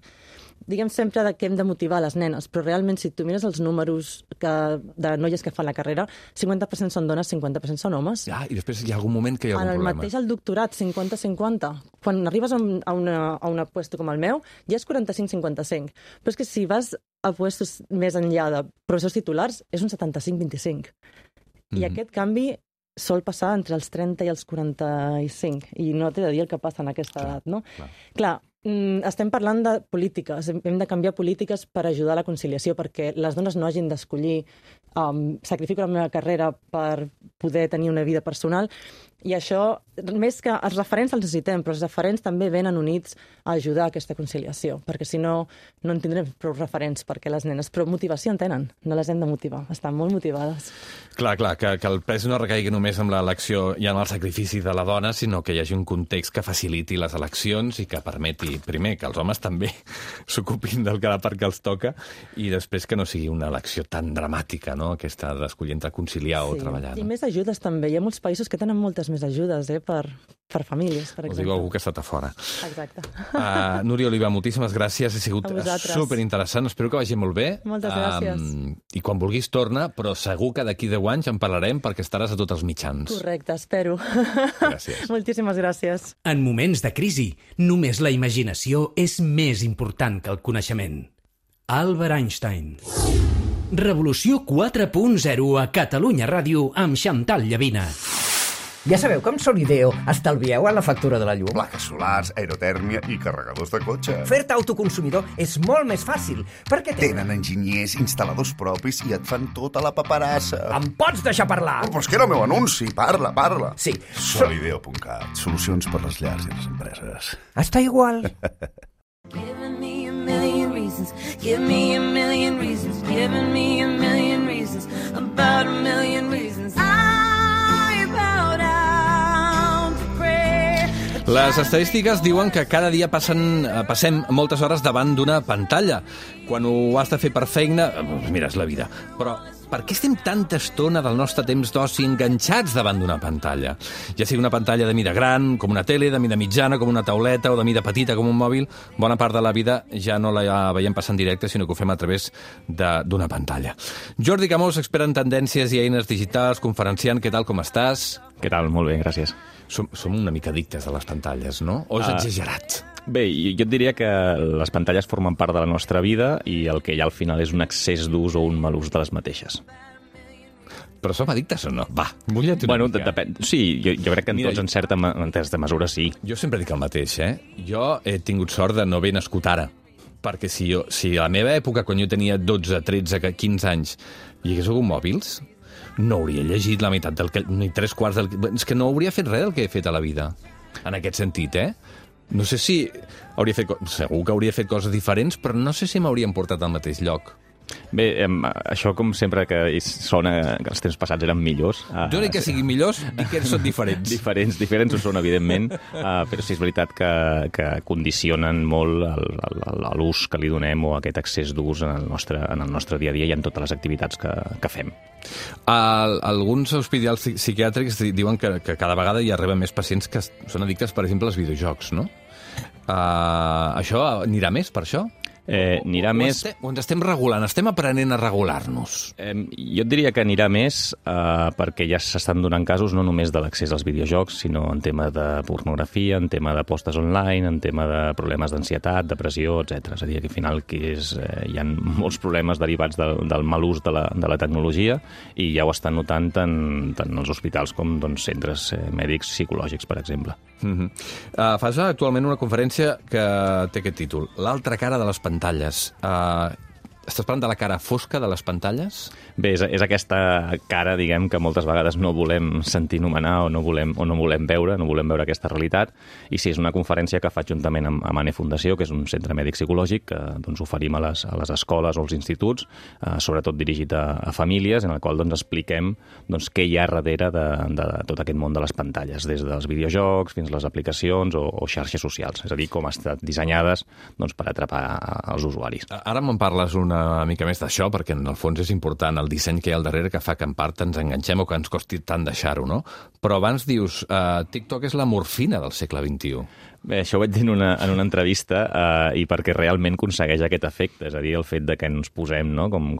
diguem sempre que hem de motivar les nenes, però realment si tu mires els números de noies que fan la carrera, 50% són dones, 50% són homes. I després hi ha algun moment que hi ha algun problema. En el mateix el doctorat, 50-50. Quan arribes a un puesto com el meu, ja és 45-55. Però és que si vas a puestos més enllà de professors titulars, és un 75-25. I aquest canvi sol passar entre els 30 i els 45, i no t'he de dir el que passa en aquesta edat, no? Clar, estem parlant de polítiques, hem de canviar polítiques per ajudar a la conciliació, perquè les dones no hagin d'escollir sacrifico la meva carrera per poder tenir una vida personal. I això, més que els referents els necessitem, però els referents també venen units a ajudar a aquesta conciliació, perquè si no, no en tindrem prou referents, perquè les nenes, però motivació en tenen, no les hem de motivar, estan molt motivades. Clar, que el pes no recaigui només en l'elecció i en el sacrifici de la dona, sinó que hi hagi un context que faciliti les eleccions i que permeti, primer, que els homes també s'ocupin del que la part que els toca i després que no sigui una elecció tan dramàtica, no?, aquesta d'escollir entre conciliar o treballar. I més ajudes també. Hi ha molts països que tenen moltes més ajudes per famílies, per exemple. Ho diu algú que ha estat a fora. Exacte. Núria Oliva, moltíssimes gràcies. Ha sigut superinteressant. Espero que vagi molt bé. Moltes gràcies. I quan vulguis torna, però segur que d'aquí 10 anys en parlarem perquè estaràs a tots els mitjans. Correcte, espero. Gràcies. Moltíssimes gràcies. En moments de crisi, només la imaginació és més important que el coneixement. Albert Einstein. Revolució 4.0 a Catalunya Ràdio amb Xantal Llavina. Ja sabeu que amb Solideo estalvieu a la factura de la llum? Plaques solars, aerotèrmia i carregadors de cotxe. Fer-te autoconsumidor és molt més fàcil, perquè tenen enginyers, instal·ladors propis i et fan tota la paperassa. Em pots deixar parlar? Però és que era el meu anunci. Parla. Sí. Solideo.cat. Solucions per les llars i les empreses. Està igual. Giving me a million reasons, give me a million reasons, giving me a million reasons, about a million reasons. I bow down to pray. Les estadístiques diuen que cada dia passem moltes hores davant d'una pantalla. Quan ho has de fer per feina, mira, és la vida. Però per què estem tanta estona del nostre temps d'oci enganxats davant d'una pantalla? Ja sigui una pantalla de mida gran, com una tele, de mida mitjana, com una tauleta, o de mida petita, com un mòbil, bona part de la vida ja no la veiem passar en directe, sinó que ho fem a través d'una pantalla. Jordi Camós, expert en tendències i eines digitals, conferenciant, què tal, com estàs? Què tal? Molt bé, gràcies. Som una mica addictes a les pantalles, no? O és exagerat? Bé, jo et diria que les pantalles formen part de la nostra vida i el que hi ha al final és un excés d'ús o un mal ús de les mateixes. Però som addictes o no? Va, mulla't una mica. Depèn. Sí, jo crec que en tots en certa mesura sí. Jo sempre dic el mateix, Jo he tingut sort de no haver nascut ara. Perquè si a la meva època, quan jo tenia 12, 13, 15 anys, hi hagués hagut mòbils, no hauria llegit la meitat ni 3/4 del... És que no hauria fet res del que he fet a la vida. En aquest sentit, No sé si hauria fet... Segur que hauria fet coses diferents, però no sé si m'haurien portat al mateix lloc. Bé, això com sempre que sona que els temps passats eren millors. Jo dic que siguin millors, dic que són diferents. Diferents ho són, evidentment, però sí és veritat que condicionen molt l'ús que li donem o aquest excés d'ús en el nostre dia a dia i en totes les activitats que fem. Alguns hospitals psiquiàtrics diuen que cada vegada hi arriben més pacients que són addictes, per exemple, als videojocs, no? Això anirà més, per això? Anirà més... O ens estem regulant, estem aprenent a regular-nos? Jo et diria que anirà més perquè ja s'estan donant casos no només de l'accés als videojocs, sinó en tema de pornografia, en tema d'apostes online, en tema de problemes d'ansietat, depressió, etc. És a dir, que al final hi ha molts problemes derivats del mal ús de la tecnologia i ja ho estan notant tant els hospitals com centres mèdics psicològics, per exemple. Fas actualment una conferència que té aquest títol, L'altra cara de les pantalles. Estàs parlant de la cara fosca de les pantalles? Bé, és aquesta cara, diguem, que moltes vegades no volem sentir nomenar o no volem veure aquesta realitat. I sí, és una conferència que faig juntament amb ANE Fundació, que és un centre mèdic psicològic que oferim a les escoles o als instituts, sobretot dirigit a famílies, en el qual expliquem què hi ha darrere de tot aquest món de les pantalles, des dels videojocs fins a les aplicacions o xarxes socials. És a dir, com han estat dissenyades per atrapar els usuaris. Ara me'n parles una mica més d'això, perquè en el fons és important el disseny que hi ha al darrere que fa que en part ens enganxem o que ens costi tant deixar-ho, no? Però abans dius, TikTok és la morfina del segle XXI. Bé, això ho vaig dir en una entrevista i perquè realment aconsegueix aquest efecte, és a dir, el fet de que ens posem, no? com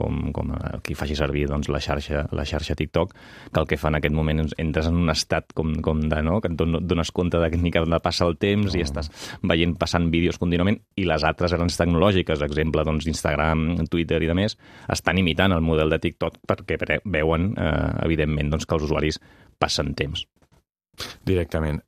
qui faci servir la xarxa TikTok, que el que fa en aquest moment entres en un estat com de, no? Que et dones compte de que ni que passa el temps i estàs passant vídeos contínuament, i les altres grans tecnològiques, exemple, Instagram, Twitter i de més, estan imitant el model de TikTok perquè veuen, evidentment, que els usuaris passen temps. Directament.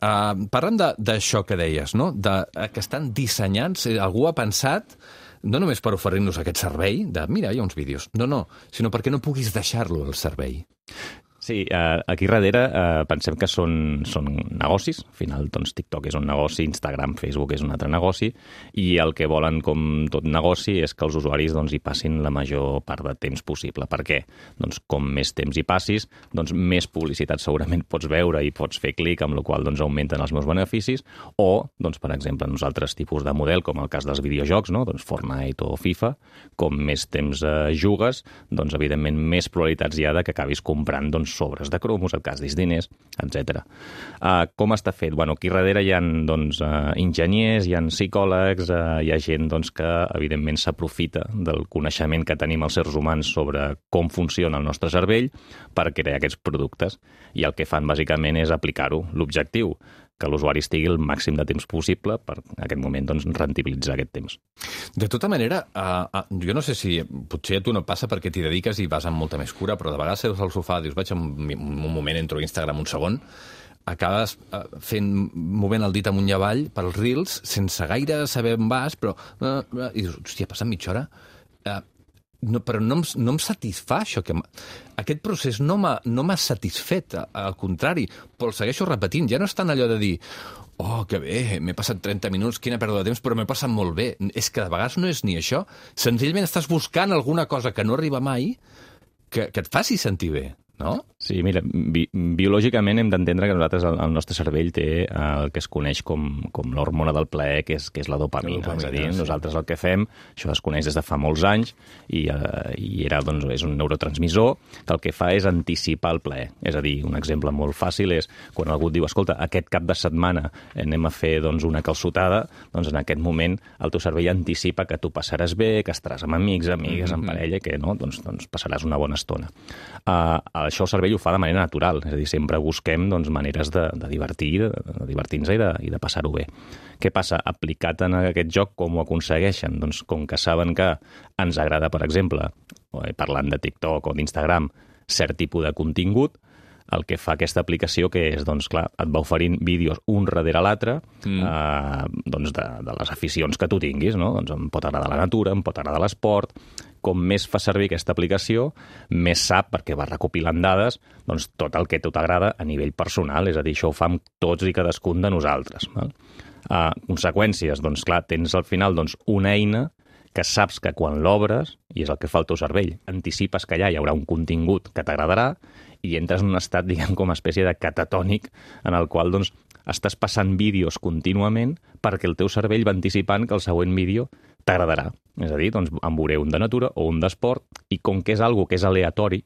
Parlem d'això que deies, no? Que estan dissenyats, algú ha pensat, no només per oferir-nos aquest servei, de mira, hi ha uns vídeos, no, sinó perquè no puguis deixar-lo al servei. Sí, aquí darrere pensem que són negocis. Al final, doncs, TikTok és un negoci, Instagram, Facebook és un altre negoci, i el que volen, com tot negoci, és que els usuaris doncs, hi passin la major part de temps possible. Per què? Doncs com més temps hi passis, doncs més publicitat segurament pots veure i pots fer clic, amb la qual doncs, augmenten els meus beneficis, o, doncs, per exemple, en uns altres tipus de model, com el cas dels videojocs, no? Doncs Fortnite o FIFA, com més temps jugues, doncs, evidentment, més probabilitats hi ha de que acabis comprant doncs, sobres de cromos, et gastis diners, etc. Com està fet? Bueno, aquí darrere hi ha doncs, enginyers, hi ha psicòlegs, hi ha gent doncs, que evidentment s'aprofita del coneixement que tenim els éssers humans sobre com funciona el nostre cervell per crear aquests productes. I el que fan bàsicament és aplicar-ho. L'objectiu, que l'usuari estigui el màxim de temps possible per, en aquest moment, doncs, rendibilitzar aquest temps. De tota manera, jo no sé si potser a tu no passa perquè t'hi dediques i vas amb molta més cura, però de vegades seus al sofà, dius, vaig un moment, entro a Instagram un segon, acabes movent el dit amunt i avall pels Reels sense gaire saber on vas, però... I dius, hòstia, ha passat mitja hora? Però no em satisfà això. Aquest procés no m'ha satisfet, al contrari, però el segueixo repetint. Ja no és tant allò de dir, oh, que bé, m'he passat 30 minuts, quina pèrdua de temps, però m'he passat molt bé. És que de vegades no és ni això. Senzillament estàs buscant alguna cosa que no arriba mai que et faci sentir bé, no? Sí, mira, biològicament hem d'entendre que nosaltres, el nostre cervell té el que es coneix com l'hormona del plaer, que és la dopamina. És a dir, nosaltres el que fem, això es coneix des de fa molts anys, i doncs, és un neurotransmissor que el que fa és anticipar el plaer. És a dir, un exemple molt fàcil és quan algú et diu, escolta, aquest cap de setmana anem a fer doncs, una calçotada, doncs en aquest moment el teu cervell anticipa que tu passaràs bé, que estaràs amb amics, amigues, amb parella, que no, doncs passaràs una bona estona. Això el cervell ho fa de manera natural, és a dir, sempre busquem doncs, maneres de divertir-nos i de passar-ho bé. Què passa? Aplicat en aquest joc, com ho aconsegueixen? Doncs com que saben que ens agrada, per exemple, parlant de TikTok o d'Instagram, cert tipus de contingut, el que fa aquesta aplicació que és, doncs, clar, et va oferint vídeos un darrere l'altre doncs de les aficions que tu tinguis, no? Doncs em pot agradar la natura, em pot agradar l'esport. Com més fa servir aquesta aplicació, més sap, perquè va recopilant dades, doncs tot el que a tu t'agrada a nivell personal, és a dir, això ho fa amb tots i cadascun de nosaltres. Conseqüències, doncs clar, tens al final doncs, una eina que saps que quan l'obres, i és el que fa el teu cervell, anticipes que allà hi haurà un contingut que t'agradarà i entres en un estat, diguem, com a espècie de catatònic en el qual doncs, estàs passant vídeos contínuament perquè el teu cervell va anticipant que el següent vídeo t'agradarà. És a dir, doncs, en veuré un de natura o un d'esport, i com que és algo que és aleatori,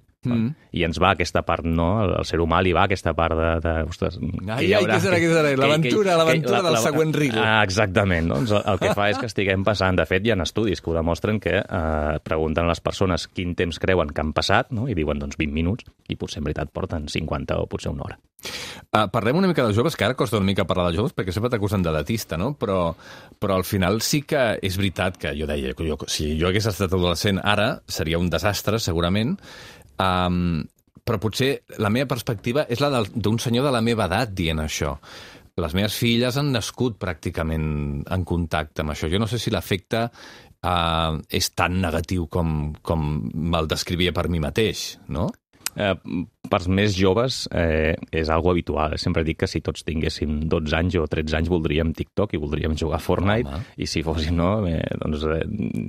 i ens va aquesta part, no? El ser humà li va aquesta part de ostres, què serà? L'aventura del següent reel. Exactament. Doncs el que fa és que estiguem passant. De fet, hi ha estudis que ho demostren que pregunten a les persones quin temps creuen que han passat, no? I diuen, doncs, 20 minuts, i potser en veritat porten 50 o potser una hora. Parlem una mica dels joves, que ara costa una mica parlar dels joves, perquè sempre t'acusen d'edatista, no? Però al final sí que és veritat que jo deia, si jo hagués estat adolescent ara, seria un desastre, segurament, però potser la meva perspectiva és la d'un senyor de la meva edat dient això. Les meves filles han nascut pràcticament en contacte amb això. Jo no sé si l'efecte és tan negatiu com me'l descrivia per mi mateix, no? Per més joves és algo habitual. Sempre dic que si tots tinguéssim 12 anys o 13 anys voldríem TikTok i voldríem jugar a Fortnite, i si fóssim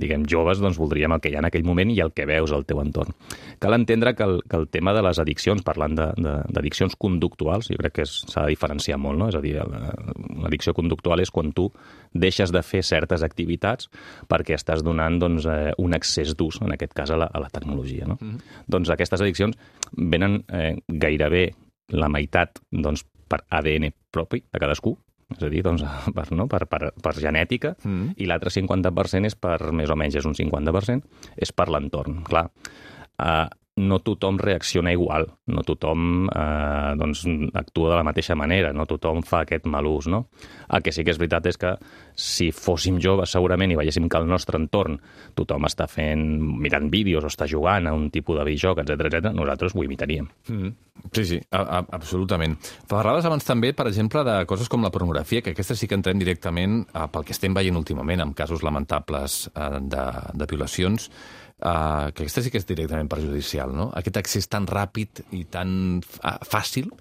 diguem joves, doncs voldríem el que hi ha en aquell moment i el que veus al teu entorn. Cal entendre que el tema de les addiccions, parlant d'addiccions conductuals, jo crec que s'ha de diferenciar molt, no? És a dir, una addicció conductual és quan tu deixes de fer certes activitats perquè estàs donant doncs, un excés d'ús, en aquest cas a la tecnologia. No? Doncs aquestes addiccions venen gairebé la meitat doncs, per ADN propi de cadascú, és a dir, doncs, per genètica, i l'altre 50% és per, més o menys, és un 50%, és per l'entorn. Clar, no tothom reacciona igual, no tothom doncs, actua de la mateixa manera, no tothom fa aquest mal ús, no? El que sí que és veritat és que si fóssim joves segurament i veiéssim que al nostre entorn tothom està mirant vídeos o està jugant a un tipus de videojoc, etc., nosaltres ho imitaríem. Sí, absolutament. Parlaves abans també, per exemple, de coses com la pornografia, que aquesta sí que entrem directament pel que estem veient últimament, amb casos lamentables de violacions. que aquesta sí que és directament perjudicial, no? Aquest accés tan ràpid i tan fàcil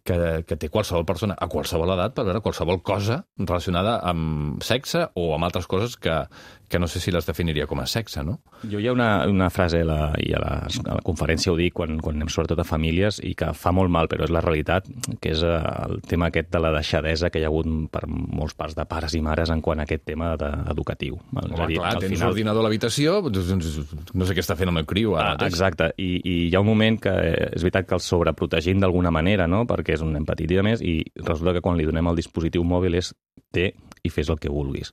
que té qualsevol persona a qualsevol edat per veure qualsevol cosa relacionada amb sexe o amb altres coses que no sé si les definiria com a sexe, no? Jo hi ha una frase, i a la conferència ho dic, quan anem sobretot a famílies, i que fa molt mal, però és la realitat, que és el tema aquest de la deixadesa que hi ha hagut per molts parts de pares i mares en quant a aquest tema educatiu. Home, clar, tens un ordinador a l'habitació, no sé què està fent el meu criu ara mateix. Exacte, i hi ha un moment que és veritat que el sobreprotegim d'alguna manera, no?, perquè és un nen petit i a més, i resulta que quan li donem el dispositiu mòbil és té i fes el que vulguis.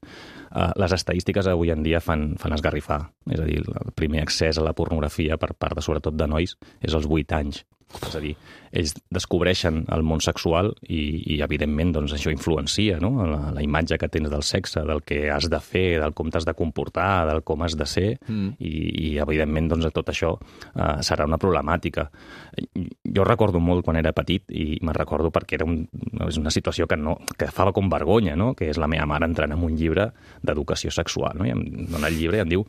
Les estadístiques avui en dia fan esgarrifar. És a dir, el primer accés a la pornografia per part, sobretot de nois, és als 8 anys. És a dir, ells descobreixen el món sexual i evidentment, doncs, això influencia, no?, la imatge que tens del sexe, del que has de fer, del com t'has de comportar, del com has de ser, i evidentment, doncs, tot això serà una problemàtica. Jo recordo molt quan era petit, i me'n recordo perquè és una situació que fa com vergonya, no?, que és la meva mare entrant en un llibre d'educació sexual, no?, i em dona el llibre i em diu: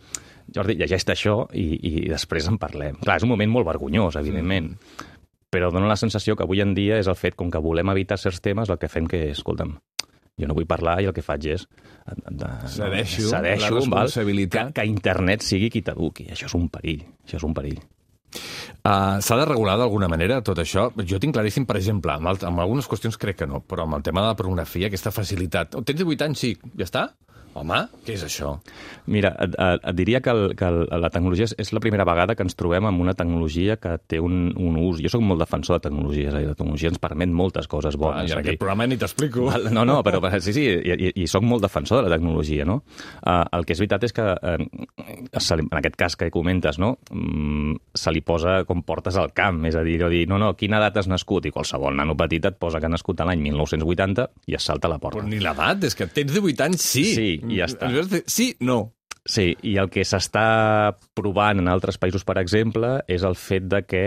Jordi, llegeix-te això i després en parlem. Clar, és un moment molt vergonyós, evidentment, però dona la sensació que avui en dia és el fet, com que volem evitar certs temes, el que fem que és, escolta'm, jo no vull parlar i el que faig és... Cedeixo la responsabilitat. Que internet sigui qui t'eduqui. Això és un perill, S'ha de regular d'alguna manera tot això? Jo tinc claríssim, per exemple, amb algunes qüestions crec que no, però amb el tema de la pornografia, aquesta facilitat. Tens 18 anys, sí, ja està? Home, què és això? Mira, et diria que la tecnologia és la primera vegada que ens trobem amb una tecnologia que té un ús. Jo soc molt defensor de tecnologia, és a dir, la tecnologia ens permet moltes coses bones. I en aquest programa ni t'explico. No, però sí, i soc molt defensor de la tecnologia, no? El que és veritat és que, en aquest cas que comentes, no?, se li posa com portes al camp, és a dir, no, quina edat has nascut? I qualsevol nano petit et posa que ha nascut l'any 1980 i es salta a la porta. Però ni l'edat, és que tens 18 anys, sí. Sí, i ja està. Sí, no. Sí, i el que s'està provant en altres països, per exemple, és el fet de que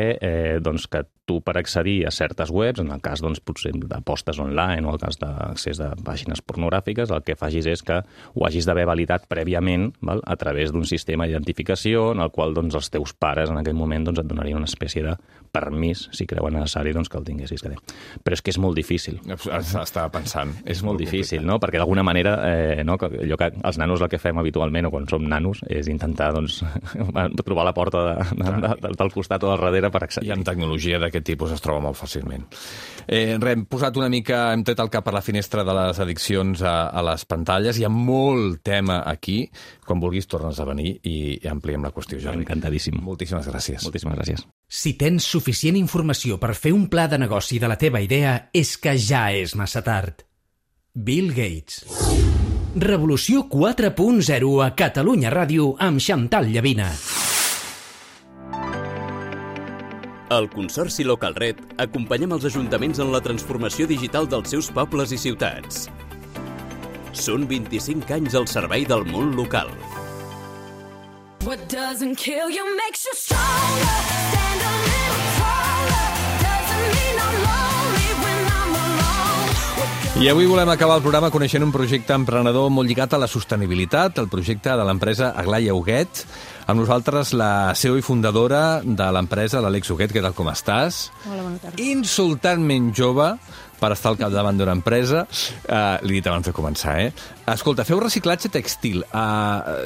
tu, per accedir a certes webs, en el cas, potser d'apostes online o el cas d'accés de pàgines pornogràfiques, el que facis és que ho hagis d'haver validat prèviament, a través d'un sistema d'identificació en el qual els teus pares en aquell moment et donarien una espècie de permís, si creuen necessari, que el tinguessis. Però és que és molt difícil. Estava pensant. És molt difícil, no?, perquè d'alguna manera allò que els nanos el que fem habitualment, o quan som nanos, és intentar trobar la porta del costat o del darrere per accedir. I amb tecnologia d'aquest tipus es troba molt fàcilment. Hem posat una mica, hem tret el cap per la finestra de les addiccions a les pantalles. Hi ha molt tema aquí. Quan vulguis tornes a venir i ampliem la qüestió, Jordi. Encantadíssim. Moltíssimes gràcies. Moltíssimes gràcies. Si tens suficient informació per fer un pla de negoci de la teva idea, és que ja és massa tard. Bill Gates. Revolució 4.0 a Catalunya Ràdio amb Xantal Llavina. Al Consorci Localred acompanyem els ajuntaments en la transformació digital dels seus pobles i ciutats. Són 25 anys al servei del món local. What doesn't kill you makes you stronger. Stand a little taller. Doesn't mean I'm lonely when I'm alone. I avui volem acabar el programa coneixent un projecte emprenedor molt lligat a la sostenibilitat, el projecte de l'empresa Aglaia Huguet. Amb nosaltres la CEO i fundadora de l'empresa, l'Àlex Huguet. Què tal, com estàs? Hola, bona tarda. Insultantment jove per estar al capdavant d'una empresa. L'he dit abans de començar, Escolta, feu reciclatge textil.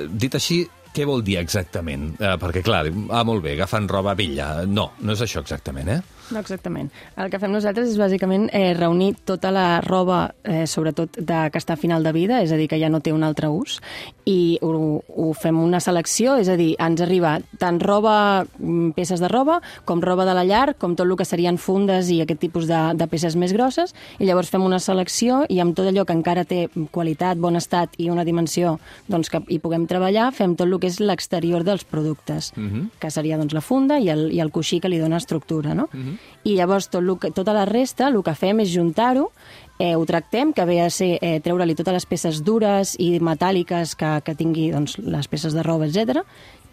Dit així, què vol dir exactament? Perquè, clar, molt bé, agafen roba vella. No és això exactament, No, exactament. El que fem nosaltres és bàsicament reunir tota la roba, sobretot que està a final de vida, és a dir, que ja no té un altre ús, i ho fem una selecció, és a dir, ens arriba tant roba, peces de roba, com roba de la llar, com tot el que serien fundes i aquest tipus de peces més grosses, i llavors fem una selecció i amb tot allò que encara té qualitat, bon estat i una dimensió que hi puguem treballar, fem tot el que és l'exterior dels productes, que seria la funda i el coixí que li dona estructura, no? I llavors tota la resta, el que fem és juntar-ho, ho tractem, que ve a ser treure-li totes les peces dures i metàl·liques que tingui les peces de roba, etc.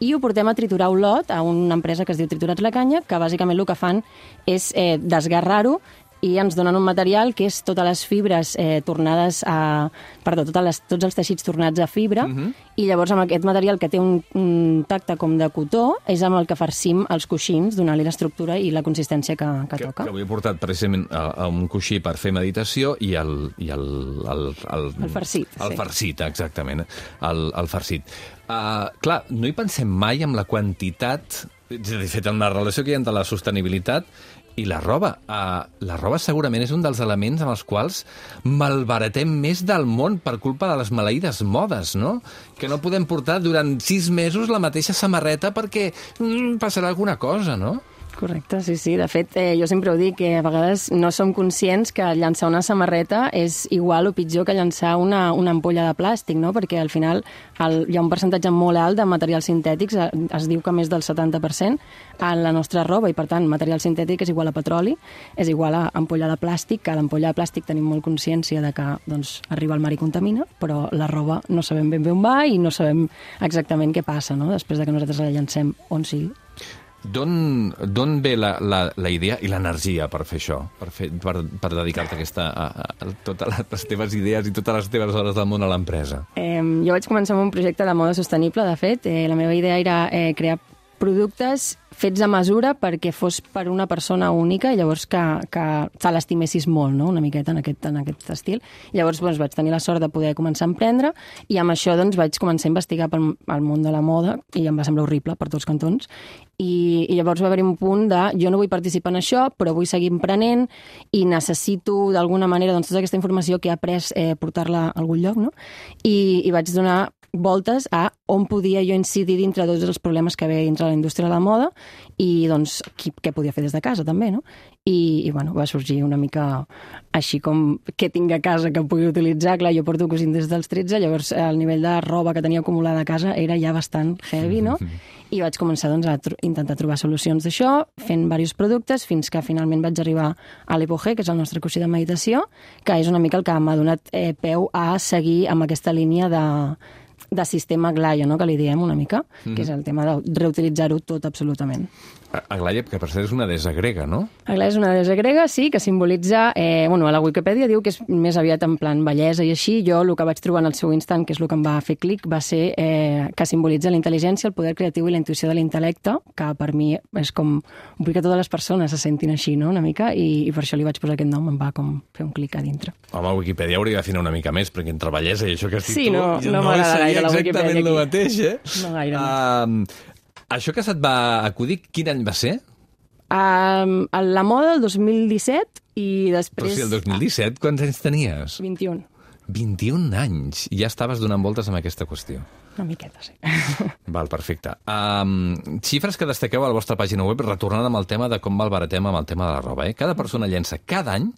I ho portem a triturar Olot, a una empresa que es diu Triturats la Canya, que bàsicament el que fan és desgarrar-ho i ens donen un material que és totes les fibres tornades a... Perdó, tots els teixits tornats a fibra, i llavors amb aquest material que té un tacte com de cotó és amb el que farcim els coixins, donant-li l'estructura i la consistència que toca. Que avui he portat precisament un coixí per fer meditació i el farcit. El farcit, exactament. El farcit. Clar, no hi pensem mai amb la quantitat, és a dir, fet en la relació que hi ha entre la sostenibilitat i la roba. La roba segurament és un dels elements amb els quals malbaratem més del món per culpa de les maleïdes modes, no? Que no podem portar durant 6 mesos la mateixa samarreta perquè passarà alguna cosa, no? Correcte, sí. De fet, jo sempre ho dic, que a vegades no som conscients que llançar una samarreta és igual o pitjor que llançar una ampolla de plàstic, no? Perquè al final hi ha un percentatge molt alt de materials sintètics, es diu que més del 70% en la nostra roba, i per tant, material sintètic és igual a petroli, és igual a ampolla de plàstic, que l'ampolla de plàstic tenim molt consciència de que arriba al mar i contamina, però la roba no sabem ben bé on va i no sabem exactament què passa, no? Després de que nosaltres la llancem on sigui. D'on ve la idea i l'energia per fer això? Per dedicar-te a totes les teves idees i totes les teves hores del món a l'empresa? Jo vaig començar amb un projecte de moda sostenible, de fet. La meva idea era crear productes fets a mesura perquè fos per una persona única i llavors que te l'estimessis molt, no? Una miqueta en aquest estil. Llavors vaig tenir la sort de poder començar a emprendre i amb això vaig començar a investigar pel món de la moda i em va semblar horrible per tots cantons. I llavors va haver-hi un punt de jo no vull participar en això, però vull seguir emprenent i necessito d'alguna manera tota aquesta informació que he après portar-la a algun lloc, no? I vaig donar voltes a on podia jo incidir dintre tots els problemes que ve dintre la indústria de la moda i què podia fer des de casa també, no? I va sorgir una mica així com què tinc a casa que pugui utilitzar. Clar, jo porto cosint des dels 13, llavors el nivell de roba que tenia acumulada a casa era ja bastant heavy, no? I vaig començar a intentar trobar solucions d'això, fent diversos productes, fins que finalment vaig arribar a l'Epogé, que és el nostre coixí de meditació, que és una mica el que m'ha donat peu a seguir amb aquesta línia de sistema Aglaia, no? Que li diem una mica, que és el tema de reutilitzar-ho tot absolutament. Aglaia, que per cert és una deessa grega, no? Aglaia és una deessa grega, sí, que simbolitza... a la Wikipedia diu que és més aviat en plan bellesa i així. Jo el que vaig trobar en el seu instant, que és el que em va fer clic, va ser que simbolitza la intel·ligència, el poder creatiu i la intuïció de l'intel·lecte, que per mi és com... Vull que totes les persones se sentin així, no?, una mica, i per això li vaig posar aquest nom, em va com fer un clic a dintre. Home, Wikipedia hauria d'afinar una mica més, perquè entre bellesa i això que has dit tu... Sí, no m'agrada gaire la Wikipedia aquí. Exactament el mateix, eh? No gaire. Això que se't va acudir, quin any va ser? La moda del 2017 i després... Però si el 2017, quants anys tenies? 21. 21 anys. I ja estaves donant voltes amb aquesta qüestió. Una miqueta, sí. Val, perfecte. Xifres que destaqueu a la vostra pàgina web, retornant amb el tema de com malbaratem amb el tema de la roba. Cada persona llença cada any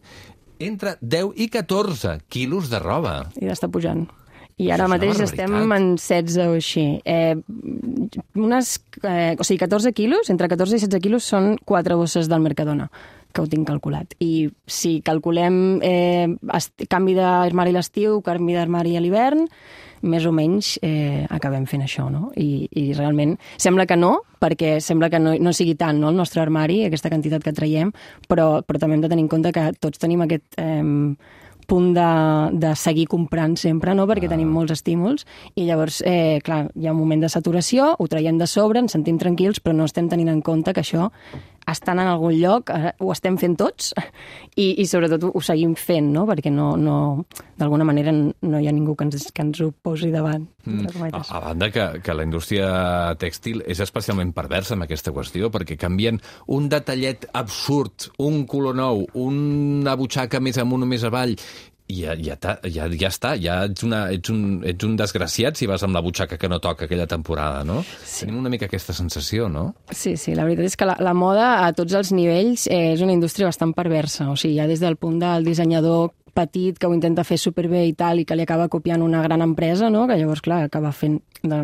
entre 10 i 14 quilos de roba. I està pujant. I ara mateix estem en 16 o així. 14 quilos, entre 14 i 16 quilos són 4 bosses del Mercadona, que ho tinc calculat. I si calculem canvi d'armari a l'estiu, canvi d'armari a l'hivern, més o menys acabem fent això, no? I realment sembla que no, perquè sembla que no sigui tant, no, el nostre armari, aquesta quantitat que traiem, però també hem de tenir en compte que tots tenim aquest punt de seguir comprant sempre, no?, perquè tenim molts estímuls i llavors, clar, hi ha un moment de saturació, ho traiem de sobre, ens sentim tranquils, però no estem tenint en compte que això estan en algun lloc, ho estem fent tots i sobretot ho seguim fent, no?, perquè d'alguna manera no hi ha ningú que ens ho posi davant. A banda que la indústria tèxtil és especialment perversa amb aquesta qüestió, perquè canvien un detallet absurd, un color nou, una butxaca més amunt o més avall, i ja està, ja ets un desgraciat si vas amb la butxaca que no toca aquella temporada, no? Sí. Tenim una mica aquesta sensació, no? Sí, la veritat és que la moda a tots els nivells és una indústria bastant perversa, o sigui, ja des del punt del dissenyador petit que ho intenta fer superbé i tal, i que li acaba copiant una gran empresa, no?, que llavors, clar, acaba fent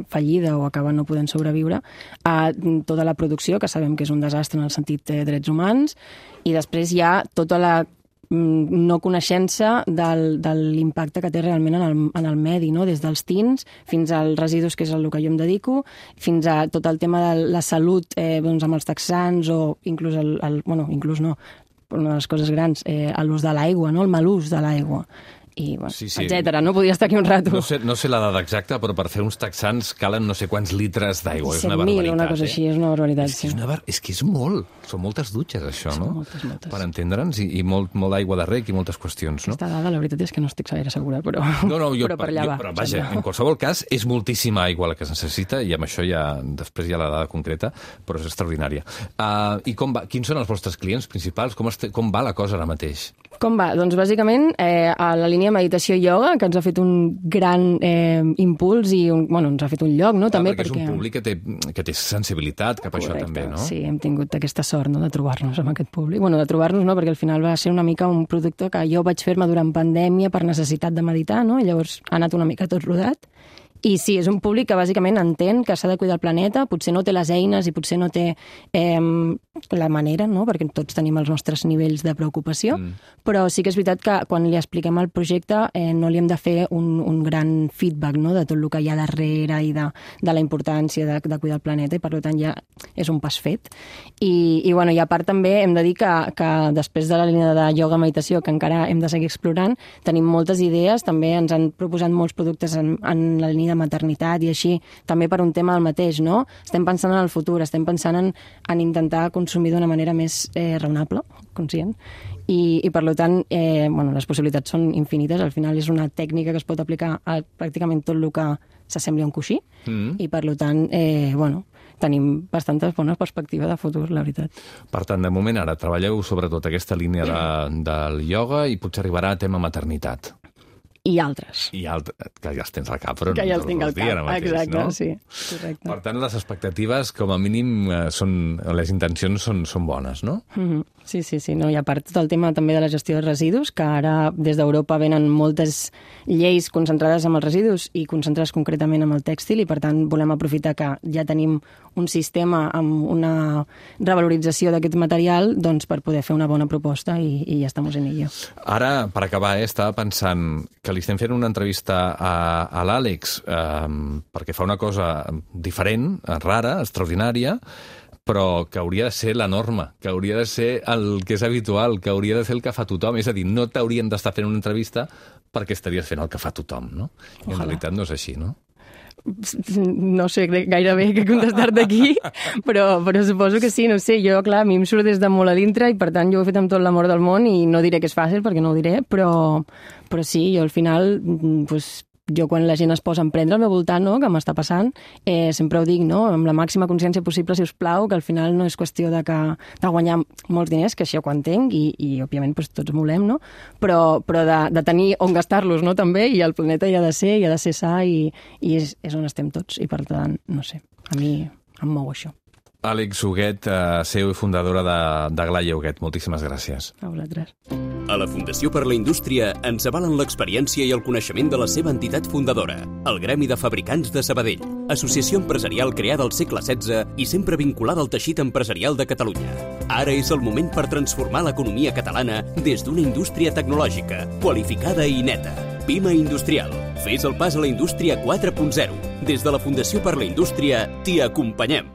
fallida o acaba no podent sobreviure, a tota la producció, que sabem que és un desastre en el sentit de drets humans, i després hi ha tota la no coneixença de l'impacte que té realment en el medi, no?, des dels tins fins als residus, que és el que jo em dedico, fins a tot el tema de la salut amb els texans o inclús inclús no, una de les coses grans, l'ús de l'aigua, no? El mal ús de l'aigua. I, bueno, etcètera. No podria estar aquí un rato. No sé la dada exacta, però per fer uns texans calen no sé quants litres d'aigua. És una 100.000, barbaritat. una cosa així, és una barbaritat. És que és molt. Són moltes dutxes, això, no? Moltes. Per entendre'ns, i molt d'aigua de rec i moltes qüestions, no? Aquesta dada, la veritat és que no estic gaire segura, però, però per allà va. Però vaja, en qualsevol cas, és moltíssima aigua la que es necessita, i amb això després hi ha la dada concreta, però és extraordinària. I com va? Quins són els vostres clients principals? Com va la cosa ara mateix? Com va? Doncs bàsicament a la línia meditació i ioga, que ens ha fet un gran impuls i ens ha fet un lloc, no? També perquè és un públic que té sensibilitat cap a això també, no? Sí, hem tingut aquesta sort, no?, de trobar-nos amb aquest públic. Bueno, de trobar-nos no, perquè al final va ser una mica un producte que jo vaig fer-me durant pandèmia per necessitat de meditar, no? I llavors ha anat una mica tot rodat. I sí, és un públic que bàsicament entén que s'ha de cuidar el planeta, potser no té les eines i potser no té la manera, no?, perquè tots tenim els nostres nivells de preocupació, però sí que és veritat que quan li expliquem el projecte no li hem de fer un gran feedback, no?, de tot el que hi ha darrere i de la importància de cuidar el planeta, i per tant ja és un pas fet. I a part també hem de dir que després de la línia de ioga meditació, que encara hem de seguir explorant, tenim moltes idees, també ens han proposat molts productes en la línia de maternitat i així, també per un tema del mateix, no? Estem pensant en el futur, estem pensant en intentar consumir d'una manera més raonable, conscient, i per tant, les possibilitats són infinites. Al final és una tècnica que es pot aplicar a pràcticament tot el que s'assembli a un coixí, i per tant, tenim bastanta bona perspectiva de futur, la veritat. Per tant, de moment ara treballeu sobretot aquesta línia del ioga i potser arribarà a tema maternitat. I altres. Que ja els tens al cap, però que ja els tinc al cap, exacte, no? Sí, correcte. Per tant, les expectatives, com a mínim, les intencions són bones, no? Sí, no? I a part tot el tema també de la gestió de residus, que ara des d'Europa venen moltes lleis concentrades en els residus i concentrades concretament en el tèxtil, i per tant volem aprofitar que ja tenim un sistema amb una revalorització d'aquest material, doncs per poder fer una bona proposta, i ja estem en ello. Ara, per acabar, estava pensant que li estem fent una entrevista a l'Àlex perquè fa una cosa diferent, rara, extraordinària, però que hauria de ser la norma, que hauria de ser el que és habitual, que hauria de ser el que fa tothom. És a dir, no t'haurien d'estar fent una entrevista perquè estaries fent el que fa tothom, no? I en realitat no és així, no? No sé gairebé què contestar-te aquí, però suposo que sí, no sé. Jo, clar, a mi em surt des de molt a dintre i per tant jo ho he fet amb tot l'amor del món i no diré que és fàcil perquè no ho diré, però sí, jo al final, jo quan la gent es posa a emprendre al meu voltant, no?, que m'està passant, sempre ho dic, no?, amb la màxima consciència possible, si us plau, que al final no és qüestió de guanyar molts diners, que això ho entenc, i òbviament tots volem, no?, però de tenir on gastar-los, no?, també, i el planeta hi ha de ser sa, i és on estem tots, i per tant, no sé, a mi em mou això. Àlex Huguet, CEO i fundadora de Glalla Huguet, moltíssimes gràcies. A vosaltres. A la Fundació per la Indústria ens avalen l'experiència i el coneixement de la seva entitat fundadora, el Gremi de Fabricants de Sabadell, associació empresarial creada al segle XVI i sempre vinculada al teixit empresarial de Catalunya. Ara és el moment per transformar l'economia catalana des d'una indústria tecnològica, qualificada i neta. PIMA Industrial. Fes el pas a la indústria 4.0. Des de la Fundació per la Indústria t'hi acompanyem.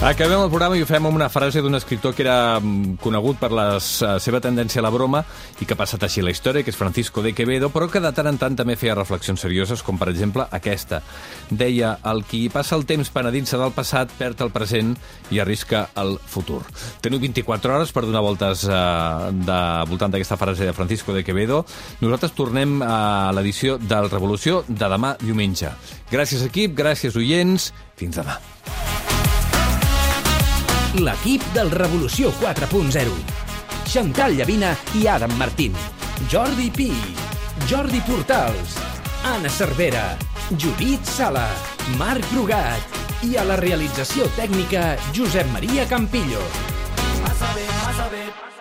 Acabem el programa i ho fem amb una frase d'un escriptor que era conegut per la seva tendència a la broma i que ha passat així la història, que és Francisco de Quevedo, però que de tant en tant també feia reflexions serioses, com per exemple aquesta. Deia, el qui passa el temps penedint-se del passat perd el present i arrisca el futur. Teniu 24 hores per donar voltes voltant d'aquesta frase de Francisco de Quevedo. Nosaltres tornem a l'edició del Revolució de demà diumenge. Gràcies, equip, gràcies, oients. Fins demà. L'equip del Revolució 4.0. Xantal Llavina i Adam Martín. Jordi Pi. Jordi Portals. Anna Cervera. Judit Sala. Marc Brugat. I a la realització tècnica, Josep Maria Campillo. Vas a ver.